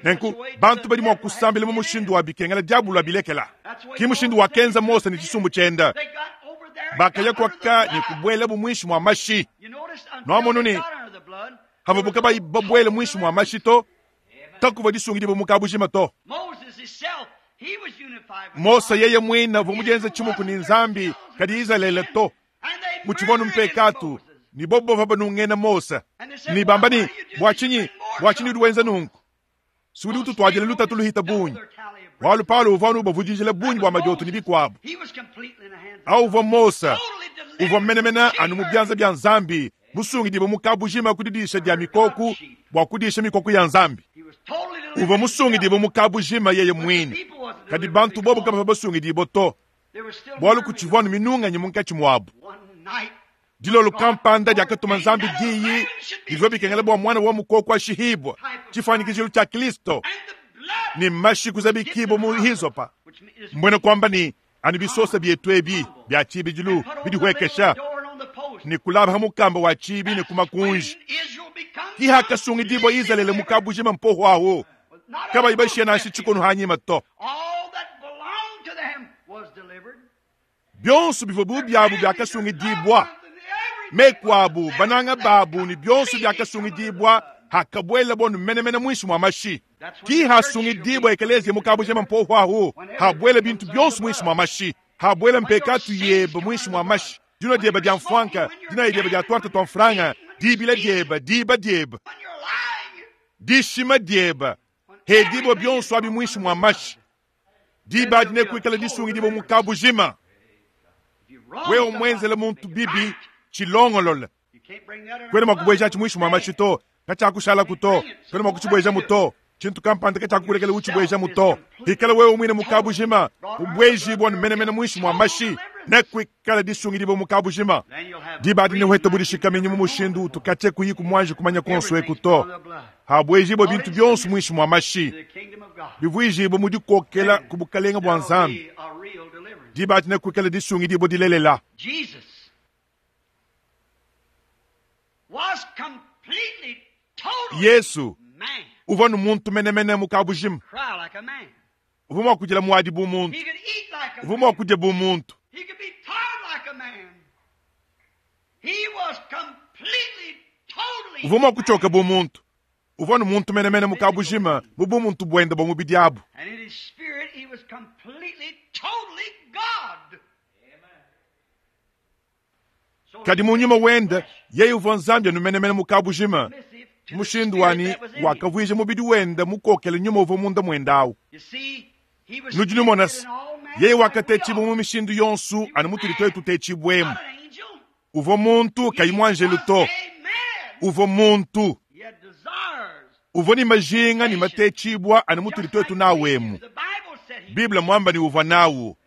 nenku bantu badi mua kusambila mu mushindu wa bikengela diabulu abilekela ki mushindu wakenza Mose ni tshisumbu tshienda They got over there and bakaya got under the kwaka ni blood. kubuela bu mwinshi mwa mashi You notice until Nwamonu they ni got under the blood, havabuka bayi babuele mwinshi mwa mashi to takuva disungidibwa mu kabujima to Moses himself, he was unified with Mose God. yeye mwina uvua mudienza tshimuku ni nzambi kadi Izalele to And they mutshivua murmured mpekatu Moses. ni bobo bava banungena Mose ni bamba ni bua tshinyi bua tshinyi udi wenza nunku si udi ututuadila lutatu luhita bungi walu paulo uvua anu ubavudijila bungi bua madioto ni bikuabu He was completely in the hands of au uvua Mose Totally delivered. uvua menemene anu mu byanza bya nzambi musungidibwe mu kabujima kudidisha dia mikoku bua kudisha mikoku ya nzambi He was totally delivered. uvua musungidibwe mu kabujima yeye mwine People wasn't kadi delivered bantu bobo because kabava basungidibwe to they were still bualu murmuring. kutshivua anu minunganyi munkatshi muabu One night, dilolo kampanda diakatuma nzambi diyi divua bikengela bua mwana wa mukoko ashihibwa tshifuanyikijilo tshia kristo and the blood, ni mashi kuzabikibwa mu hizopa which is mbwene kwamba ni Anu bisosa byetu ebi bya tshibidilu bidihuekesha ne kulaba mukamba wa tshibi ne kumakunji. Ki hakasungidibwa Izalele mukabujima mpoho aho kabayi bashiya nansha tshikono hanyima to. Byonso bivua bu byabu byakasungidibwa mekwabu bananga babu ni byonso byakasungidibwa hakabwela bonu menemene mwinshi mwa mashi. Ki hasungidibwa ekelezia mukabujima mpoho aho habwela bintu byonso mwinshi mwa mashi, habwela mpekatu yeba mwinshi mwa mashi. Dina dyeba dya mfwanka, dina dyeba dya twarta twa mfranga, dibila dyeba, diba dyeba, dishima dyeba, hedibwa byonso abi mwinshi mwa mashi. Diba dine kuikala disungidibwa mukabujima. Wewe mwenzele muntu bibi chilongolola kwene makubweja chimwishi mwa mashi to kachakushala kuto kwene makuchibweja muto chintu kampanda kachakukulekela uchibweja muto. Hikala wewe mwine mukabujima ubwejibwa menemene mwishi mwa mashi nekwikala disungidibwa mukabujima. Diba dine hweta budishikamenyi mu mushindu utukache kuyiku mwanje kumanya konso ekuto habwejibwa bintu byonso mwishi mwa mashi bivwijibwa mudikokela kubukalenga bwa Nzambi. Diba dine kwikala disungidibwa dilelela. Yesu uvua nu muntu menemene mukabujima, uvua mua kudila muadi bu muntu, uvua mua kudia bu muntu. Uvua mua kuchoka bu muntu, uvua nu muntu menemene mukabujima bu bu muntu bwenda bwa mubidi abu. Kadi mu nyuma wenda yeye uvua Nzambi anu menemene mukabujima mushindu wani wakavwija mubidi wenda mukokele nyuma uvua munda mwendawu. Nudi numona yeye wakatetshibwa mu mishindu yonso anu mutudi twetu tetshibwemu. Uvua muntu kayi muanjelu to, uvua muntu uvua ni majinga ni matetshibwa anu mutudi twetu nawemu. Biblia mwamba ni uvua nawu.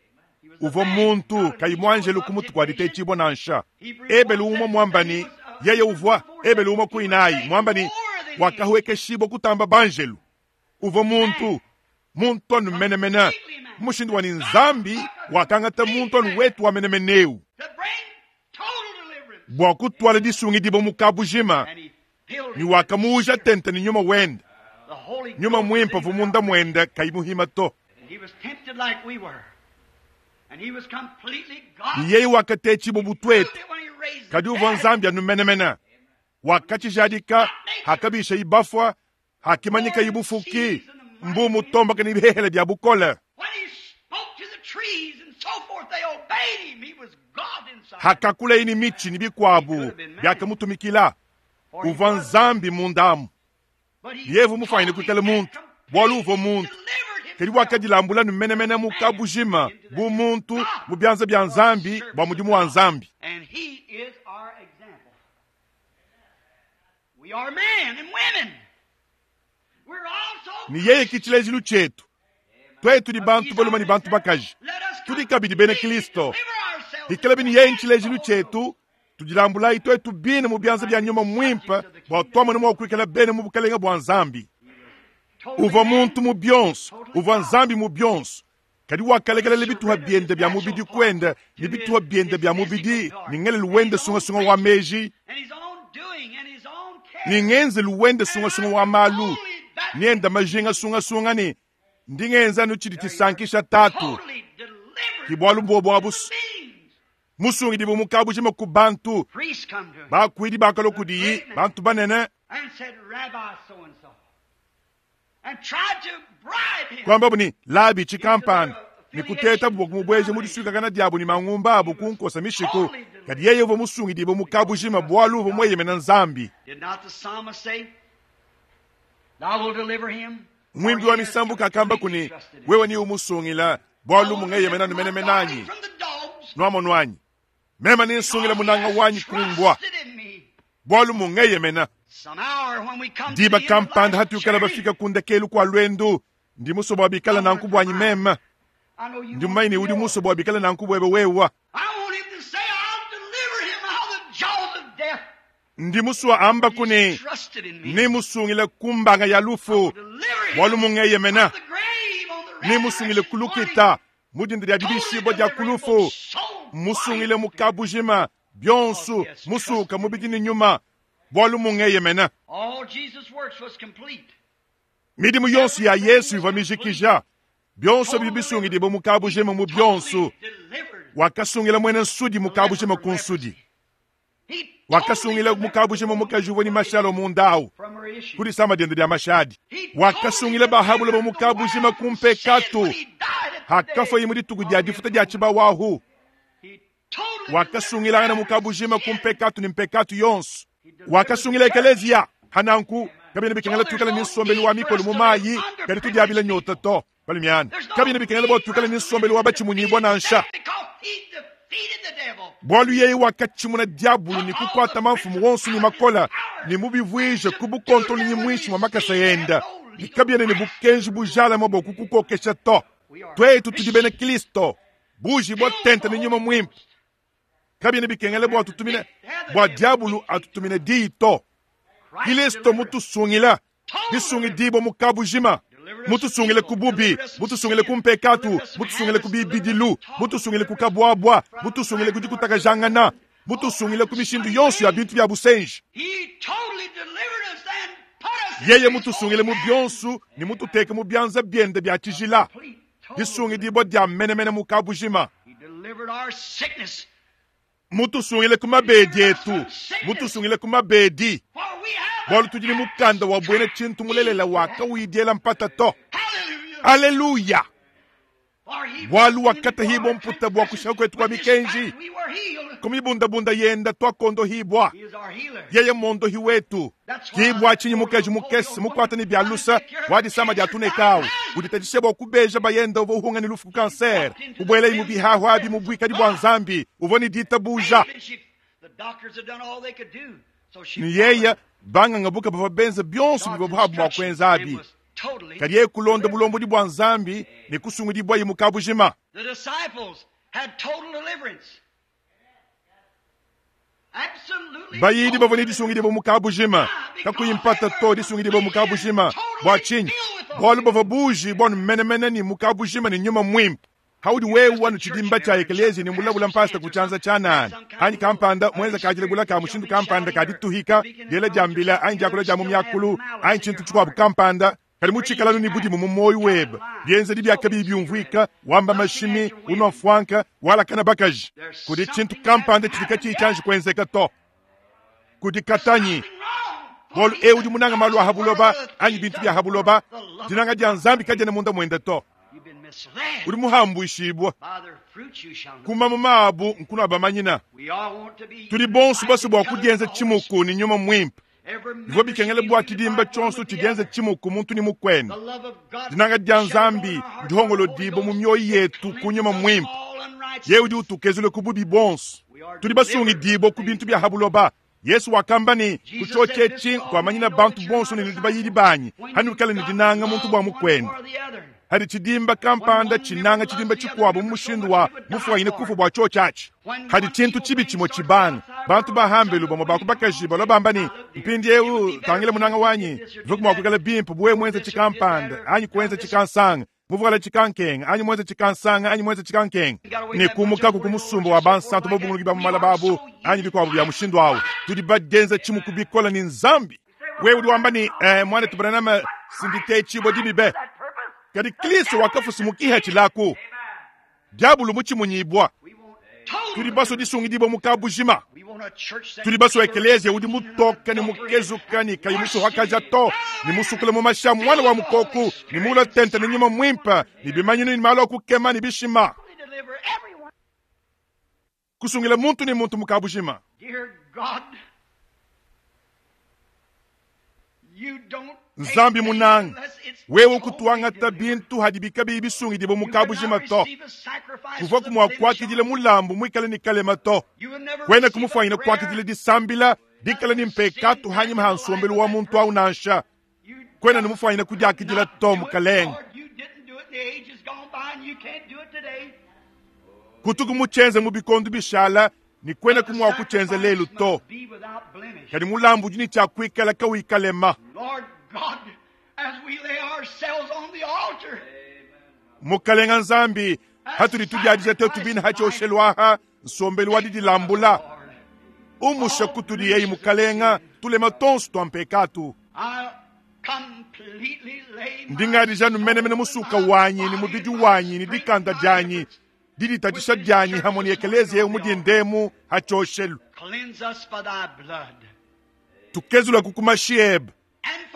Uvua muntu kayi muanjelu kumutu kwa ditetshibwa nansha. Ebelu umwe mwamba ni yeye uvua ebelu umwe kuinayi mwamba ni wakahwekeshibwa kutamba banjelu. Uvua muntu muntu anu menemene mushindu wa ni Nzambi wakangata muntu anu wetu wa menemeneu bwa kutwala disungidibwa mukabujima ni wakamuuja tente ni nyuma wenda nyuma mwimpa vumunda mwenda kayimuhima to. Ni yeye wakatetshibwa butwetu kadi uvua Nzambi anu menemene wakatshijadika hakabisha ibafwa hakimanyika ibufuki mbu mutombaka ni bihehele bya bukole. Hakakula ini michi ni bikwabu byakamutumikila uvua Nzambi mundamu. Yevu mufanyine kuikala muntu bwalu uvua muntu kadi wakadilambula nu menemene mukabujima bu muntu mu byanza bya Nzambi bwa mudimu wa Nzambi. Ni yeye kichilejilu chetu twetu ni bantu baluma ni bantu bakaji tudi kabidi bena Kristo. Hikala bini yeye nchilejilu chetu tudilambulayi twetu bine mu byanza bya nyuma mwimpa bwa twamona mwa kuikala bene mu bukalenga bwa Nzambi. Uvua muntu mu byonso, uvua Nzambi mu byonso. Kadi wakalekela bituha byende bya mubidi kwenda ni bituha byende bya mubidi ni ngele luwende sungasunga wa meji ni ngenze luwende sungasunga wa malu nienda majinga sungasunga ni ndingenza nuchidi tisankisha tatu kibwalu mbobwa abusu musungidibwa mukabujima ku bantu bakwidi bakalo kudiyi bantu banene kwamba buni labi chikampani nikuteta bwa kumubweje mudiswikakana diabo ni mangumba abo kunkosa mishiku kadi yeye uvua musungidibwa mukabujima bwalu uvua mweyemena Nzambi. Mwimbi wa misambu kakamba kuni wewe ni umusungila bwalu mungeyemena numenemenanyi nwamonwanyi mema ninsungila munanga wanyi kumbwa bwalu mungeyemena. Diba kampanda hatukala bafika kundekelu kwa lwendu ndi musobo bikala nanku bwanyi mema ndi mumaini udi musobo bikala nanku bwebe wewa ndi muswa amba kuni ni musungile kumbanga ya lufu bwalu mungeyemena ni musungile kulukita Mu dinda dia dibishibua dia ku lufu, musungile mu kabujima byonso musuka mubidi ne nyuma bwalu mungeyemena. All Jesus' works was complete. Midimu yonso ya Yesu ivua mijikija byonso bidi bisungidibwa mu kabujima mu byonso. Delivered. Wakasungila mwene nsudi mu kabujima ku nsudi. He Wakasungila mu kabujima mukaji uvua ni mashalo mu ndawu from her issue. kuli sama diende dia mashadi. Wakasungila bahabula ba mu kabujima ku mpekatu hakafa mu dituku dia difuta dia tshibawahu. Wakasungilangana mu kabujima ku mpekatu ni mpekatu yonso. Wakasungila ekelezia hananku kabina bikengela tukala ni nsombelu wa mikolo mu mayi kadi tudiabila nyota to bali miana kabina bikengela bwa tukala ni nsombelu wa bachimunyibwa nansha. Bwalu yeye wakatshimuna diabulu ni kukwata mamfumu wonso ni makola ni mubivwije ku bukontolo ni mwishi mwa makasa yenda ni kabiene ni bukenji bujalama bwa kukukokesha to. Twetu tudi bena Kristo buji bwa tenta ni nyuma mwimpe kabiene bikengele bwa tutumine bwa diabulu atutumine diyi to. Kristo mutusungila disungidibwa mu kabujima mutusungile ku bubi mutusungile ku mpekatu mutusungile ku bibidilu mutusungile ku kabwabwa mutusungile ku dikutakajangana mutusungile ku mishindu yonso ya bintu bya busenji. He totally delivered us and put us in Yeye his mutusungile mu holy byonso ni mututeke mu byanza byende bya tshijila complete, total disungidibwa dia menemene mu kabujima. He delivered our sickness. Mutusungile ku mabedi etu mutusungile ku mabedi For we have bwalu tudi ni mukanda wa bwene tshintu mulelela wakawidiela mpata to. Hallelujah. Aleluya. For he Bwalu was wakatahibwa mputa bwa kushaka kwetu kwa With his mikenji. stripes we were healed. Kumibundabunda yenda twakondo hibwa. He is our healer. Yeye mondo hiwetu kibwa chinyi mukeji mukesi mukwata ni byalusa wadisama dia tunekawu uditajishe bwa kubeja bayenda uvo uhunga ni lufu ku kanser ubwele imu bihahu abi mu bwikadi bwa nzambi uvo ni ditabuja. And she, the doctors had done all they could do. So she Ni yeya banganga buka bava benza byonso bivwa buhabu mwa kwenza abi and was totally kadi yeye kulonda bulombodi bwa nzambi ni kusungudibwa imu kabujima. The disciples had total deliverance. Absolutely. Bayidi total bavua ni disungidibwa mu kabujima kakuyimpata to disungidibwa mu kabujima bwa chinyi bwalu bava buji bwanu menemene ni mu kabujima ni nyuma mwimpe haudi wewe wanu chidimba cha ekelezi ni mulabula mpasta kuchanza chanani anyi kampanda mwenza kajile gula ka mushindu kampanda kadituhika diela jambila anyi jakula ja mu myakulu anyi chintu chikwabu kampanda kali muchikalanu ni budimu mu moyo webe byenzedi byaka bibyumvwika wamba mashimi unwa fwanka wala kana bakaji kudi chintu kampanda chilika chichanji kwenzeka to kudi katanyi Wrong. bolu e udi munanga malu a habuloba anyi bintu bya habuloba dinanga dia nzambi kajene munda mwende to. You've been misled. Udi muhambwishibwa By their fruits you shall know. kuma mu mabu nkunu abamanyina. We all want to be Tudi bonso basi bwa united together kudienza in the Holy chimuku ni nyuma mwimpe Every bivua member bikengele should be bwa chidimba unified one chonso with the chidienza other. chimuku muntu ni mukwene. The love of God Dinanga dia shed abroad nzambi in our hearts ndihongolo by the Holy dibo mu Ghost. myoyo yetu It ku nyuma cleanses mwimpe all unrighteousness. ye udi utukezule ku bubi bonso tudi basungidibwa ku bintu bya habuloba. Yesu wakamba ni kuchochechi kwamanyina bantu bonso ni bayidi banyi hanukala ni dinanga muntu bwa mukwene hadi chidimba kampanda chinanga chidimba chikwabu mu mushindu wa mufwanyine kufu bwa chochachi hadi chintu chibi chimo chibanga bantu bahambelu bamwe bakubakaji balo bamba ni mpindi eu tangile munanga wanyi vukumwakukala bimpu bwe mwenza chikampanda anyi kwenza chikansanga muvuala chikankenga anyi mwenza chikansanga anyi mwenza chikankenga ni kumukaku kumusumba wa bansantu bobunguluki ba mumala babu anyi bikwabu bya mushindu awu tudi bagenza chimuku bikola ni nzambi wewe udi wamba ni eh, mwana tubananama sindite chibo dimibe kadi Kristo wakafusumukiha chilaku diabulu muchimunyibwa We want total tudi baso disungidibwa mu kabujima We want a church that tudi baso ekelezia udi mutoka ni mukezuka ni kayi musuhakaja to ni musukule mu masha mwana wa mukoku ni mula tente ni nyuma mwimpa ni bimanyinu ni malo kukema ni bishima deliver everyone. kusungila muntu ni muntu mu kabujima. Dear God, you don't take Nzambi things munanga unless it's wewe totally ukutuangata delivered. bintu hadibika bibisungidibwa mu You cannot kabujima to receive a sacrifice kuva with a kumwa blemish kwakidile on it. mulambu mwikale ni kalema to You will never kwene receive a kumufwanyina prayer kwakidile disambila dikala ni mpekatu hanyima ha nsombelu wa muntu au nansha You kwena nimufwanyina kudiakidila not to do it, mukalenga. Lord. You didn't do it in the ages gone by, and you can't do it today. Kutuku muchenze mu bikondu bishala ni kwena But the kumwa kuchenze lelu sacrifice to must be without blemish. kadi mulambu udi ni chakwikala kawikalema. Lord God, as we lay ourselves on the altar, Mukalenga nzambi Hatudi tudiadija tetu bine hachioshelwa aha nsombelu wa didilambula. Umusha kutudi yeyi mukalenga tulema tonso twa mpekatu. Ndingadija numenemene musuka wanyi ni mubidi wanyi ni dikanda dyanyi diditatisha dyanyi hamwe ni ekelezia yewu mudindemu hachioshelu. Tukezula kukumashiebe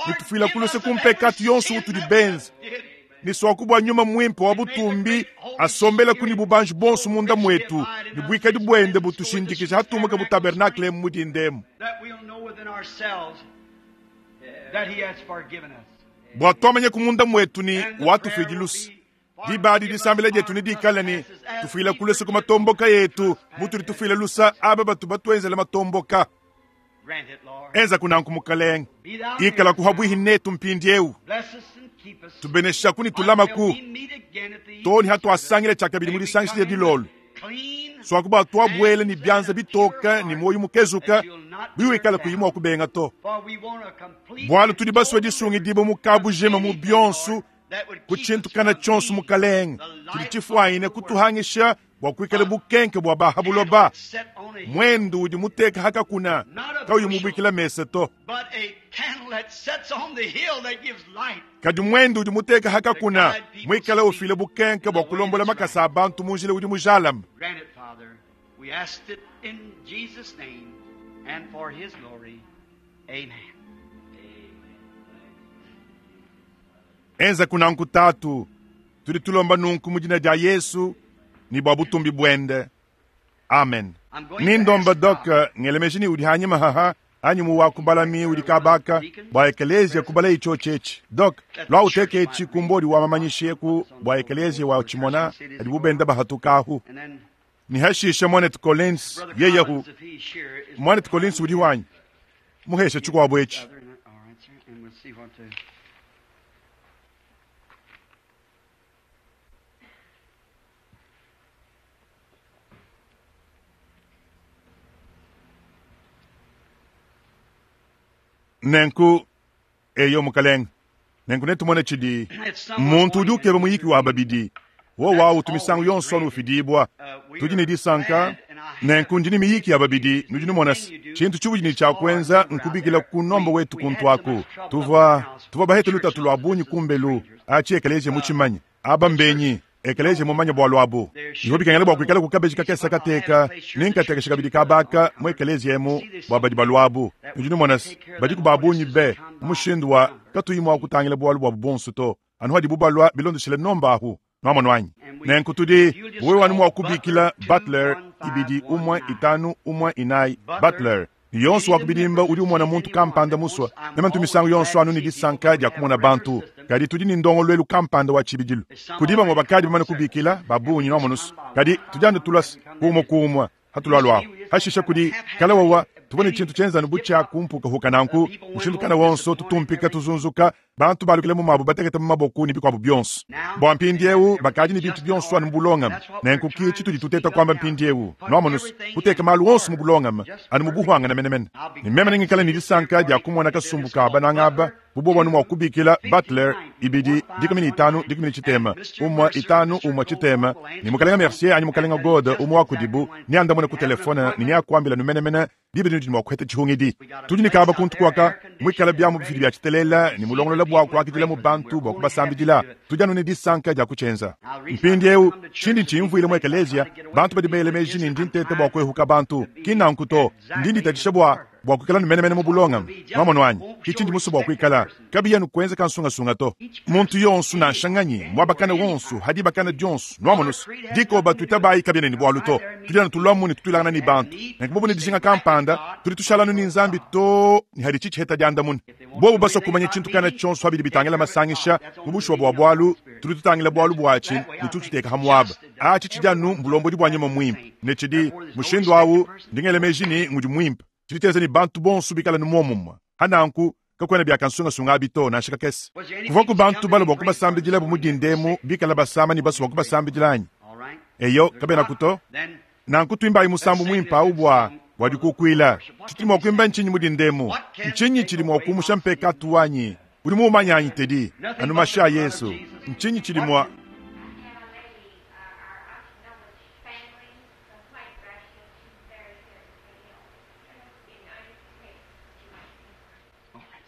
nitufila kuluse kumpekatu yonso utudi benza niswakubwa nyuma mwimpe wa butumbi asombela kuni bubanji bonso munda mwetu ni bwikadi bwende butushindikisha hatumuke bu tabernakle mudindemu bwa twamanye kumunda mwetu ni watufidi lusa dibadi disambila dyetu ni dikala ni tufila kuluse kumatomboka yetu mutuli tufila lusa aba batu batwenzela matomboka. Enza kunanku mukalenga ikala kuhabwihi netu mpindi eu tubenesha kuni tulamaku toni hatwasangile chakabili mulisangisile dilolo swakuba twabwele ni byanza bitoka ni moyo mukezuka biwikala kuyimwa kubenga to bwalo tudi baswe disungi dibo mukabu jema mu byonsu kuchintukana chonsu mukalenga tuli chifwaine kutuhangisha bwa kuikala bukenke bwa bahabuloba mwendu udi muteka hakakuna kauyu mubwikila mese to kadi mwendu udi muteka hakakuna mwikala ufile bukenke bwa kulombola makasa abantu munjila udi mujalama. Enza kunanku tatu tudi tulomba nunku mujina dia Yesu ni bwa butumbi bwende. Amen. Nindomba dok ngelemejini udi hanyima haha anyi muwa kubalami udi kabaka bwa ekelezia kubala icho chechi dok lwa uteke echi kumbodi wa mamanyishe ku bwa ekelezia wa chimona adi bubenda bahatukahu ni hashisha mwanet Collins yeyahu mwanet Collins udi wanyi muhesha chukwa echi. Nenku eyo mukalenga nenku netumone chidi muntu udi ukeba muyiki wa babidi wo wawu tumisangu yonso nufidibwa tudi ne disanka nenku ndini miyiki ya babidi nudi numonasi chintu chibudi ni chakwenza nkubikila kunomba wetu kuntwaku tuva tuva bahete lutatu lwa bunyi kumbelu achi ekeleje muchimanya aba mbenyi ekeleje mumanya bwa lwabo iho bikengela bwa kuikala kukabeji kakesa kateka ninkatekesha kabidi kabaka mu ekeleje emu bwa badi balwabu nudi numonasi badi kubabunyi be mushindu wa katuyimwa kutangila bwalu bwa bubonso to anu hadi bubalwa bilondeshele nomba ahu nwamonwanyi nenku tudi wewe wanu mwa kubikila Butler ibidi umwe itanu umwe inai Butler yonso wakubidimba udi umona muntu kampanda muswa nemantu misangu yonso anu ni disanka dia kumona bantu kadi tudi ni ndongo lwelu kampanda wa chibidilu kudiba ngo bakadi bamane kubikila babunyi nwamonusu kadi tudi anu tulasi kumwe kumwe hatulwalwaho hashisha kudi kala wawa tubone chintu chenzanu bucha kumpuka hukananku mushindukana wonso tutumpika tuzunzuka bantu balukile mumabu batekete mumaboku ni bikwabu byonso bwa mpindi eu bakadi ni bintu byonso anu mubulongama nenku kichi tudi tuteta kwamba mpindi eu nwamonusu kuteka malu wonso mubulongama anu mubuhwangana menemene ni meme ningikala ni disanka dia kumona kasumbu ka banangaba bubo bwanu mwa kubikila Butler ibidi dikumi ni itanu dikumi ni chitema umwa itanu umwa chitema ni mukalenga Mercier anyi mukalenga God umwa wakudibu ni andamone ku telefone ni nyakwambila numenemene bibidi nudi mwakuheta chihungidi tudi nikaba kuntu kwaka mwikala byamu bifidi bya chitelela ni mulongolola bwa kwakidila mu bantu bwa kubasambidila tudi anu ni disanka dia kuchenza mpindi eu chindi nchimvuile mu ekelezia bantu badi belemeji ni ndi ntete bwa kwehuka bantu kinanku to ndi nditatisha bwa bwa kuikala numenemene mu bulongama mwamonwanyi kichindi musu bwa kuikala kabiya nukwenza kansungasunga to muntu yonsu nanshanganyi mwabakana wonsu hadi bakana dyonsu nwamonusu diko batuita bayi kabiya ni bwalu to tudi anu tulwamu ni tutulangana ni bantu nenkubobu ni dijinga kampanda tudi tushalanu ni nzambi to ni hadi chichiheta dyandamuna bobu baswa kumanya chintu kana chonsu habidi bitangila masangisha mubushuwa bwa bwalu tudi tutangila bwalu bwachi ni tututeka hamwaba achi chidyanu mbulombodi bwa nyama mwimpe ne chidi mushindu awu ndingelemeji ni ngudi mwimpe chiliteza ni bantu bonso bikala ni momumwa hananku kakwena bya kansungasunga abito nanshika kesi kuva ku bantu balo bwa kubasambidila bumudindemu bikala basama ni baso bwa kubasambidilanyi eyo kabena kuto nanku twimbayi musambu mwimpa awu bwa bwa dikukwila chitili mwa kwimba nchinyi mudindemu nchinyi chili mwa kumusha mpeka atuwanyi uli muumanyanyi tedi anu masha Yesu nchinyi chili mwa We have a lady, uh, our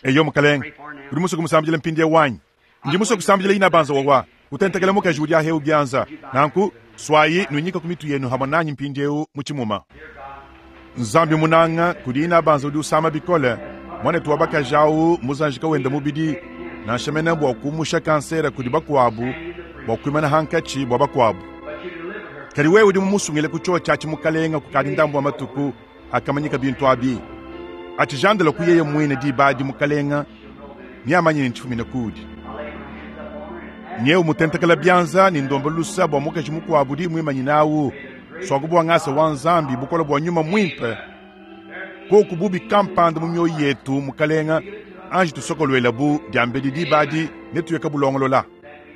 Eyo mukalenge, udi musue kumusambidila mpindieu wanyi? Ndi musue kusambidila inabanza wawa kutentekela mukaji udi aheu byanza. Nanku swayi nuinyika ku mitu yenu hamwe nanyi mpindieu mu tshimuma. Nzambi munanga kudi inabanza udi usama bikole mwanetu wa bakaji awu muzanjika wenda mubidi nansha mene bua kumusha kansera kudi bakuabu bua kuimana hankatshi bua bakuabu. Kadi wewe udi mumusungile ku chio tshiatshi mukalenga kukadi ndambu wa matuku akamanyika bintu abi. Atshijandala ku yeye mwine dibadi mukalenga niamanye ntshifumine kudi. Nyeu mutentekela byanza ni ndomba lusa bua mukaji mukuabu di mwimanyi nawu swaku bua ngasa wa nzambi bukola bua nyuma mwimpe koku bubi kampanda mu mioyo yetu mukalenga anji tusokolwela bu diambedi dibadi ne tuyeka bulongolola.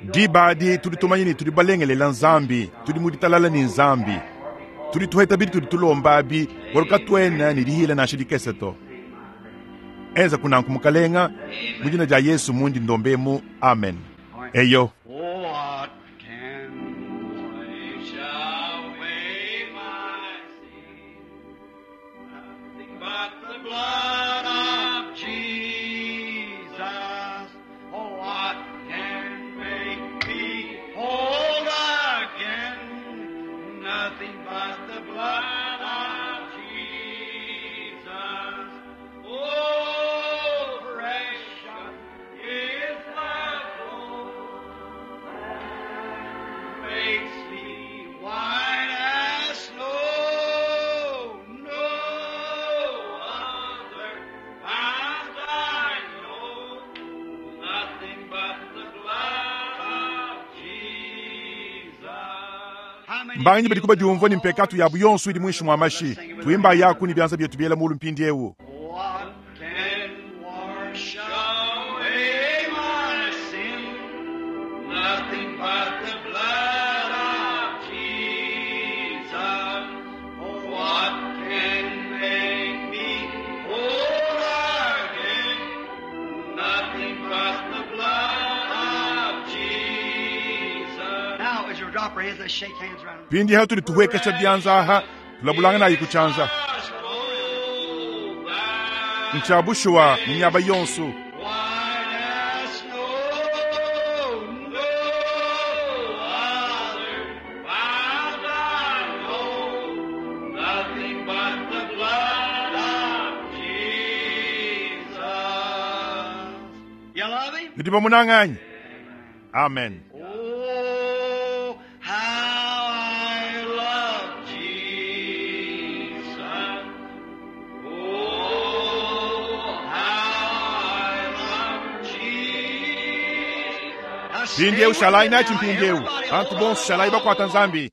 Dibadi tudi tumanye ni tudi balengelela nzambi tudi muditalala ni nzambi tudi tuheta bidi tudi tulomba bi bwalu twena ni dihila nansha dikese to. Enza kunanku mukalenga mu dina dia Yesu mundi ndombemu, amen. Eyo. What can wash away my sin? Nothing but the blood of Jesus. Oh, what can make me whole again? Nothing but the blood of Jesus. Oh, precious is the flow that makes me white as snow. No other fount I know, nothing but the blood of Jesus. How many Mbanyi badi kuba diumvua ni mpekatu yabu yonso idi mwishi mwa mashi tuimba yaku ni byanza byetu byela mulu mpindi ewu. What can wash away my sin? Nothing but the blood of Jesus. What can make me whole again? Nothing but the blood of Jesus. Now, as you drop your hands, let's shake hands around. Pindi hatu lituhwekesha byanza aha tulabulanga nayi kuchanza nchabushuwa mu myaba yonso. White as snow, no other fount I know, nothing but the blood of Jesus. You love him? Nidi bamunang'anyi. Amen. Oh, how I love Jesus. Oh, how I love Jesus. Mpindiewu shalai nachi mpindiewu bantu bonso shalai bakwata nzambi.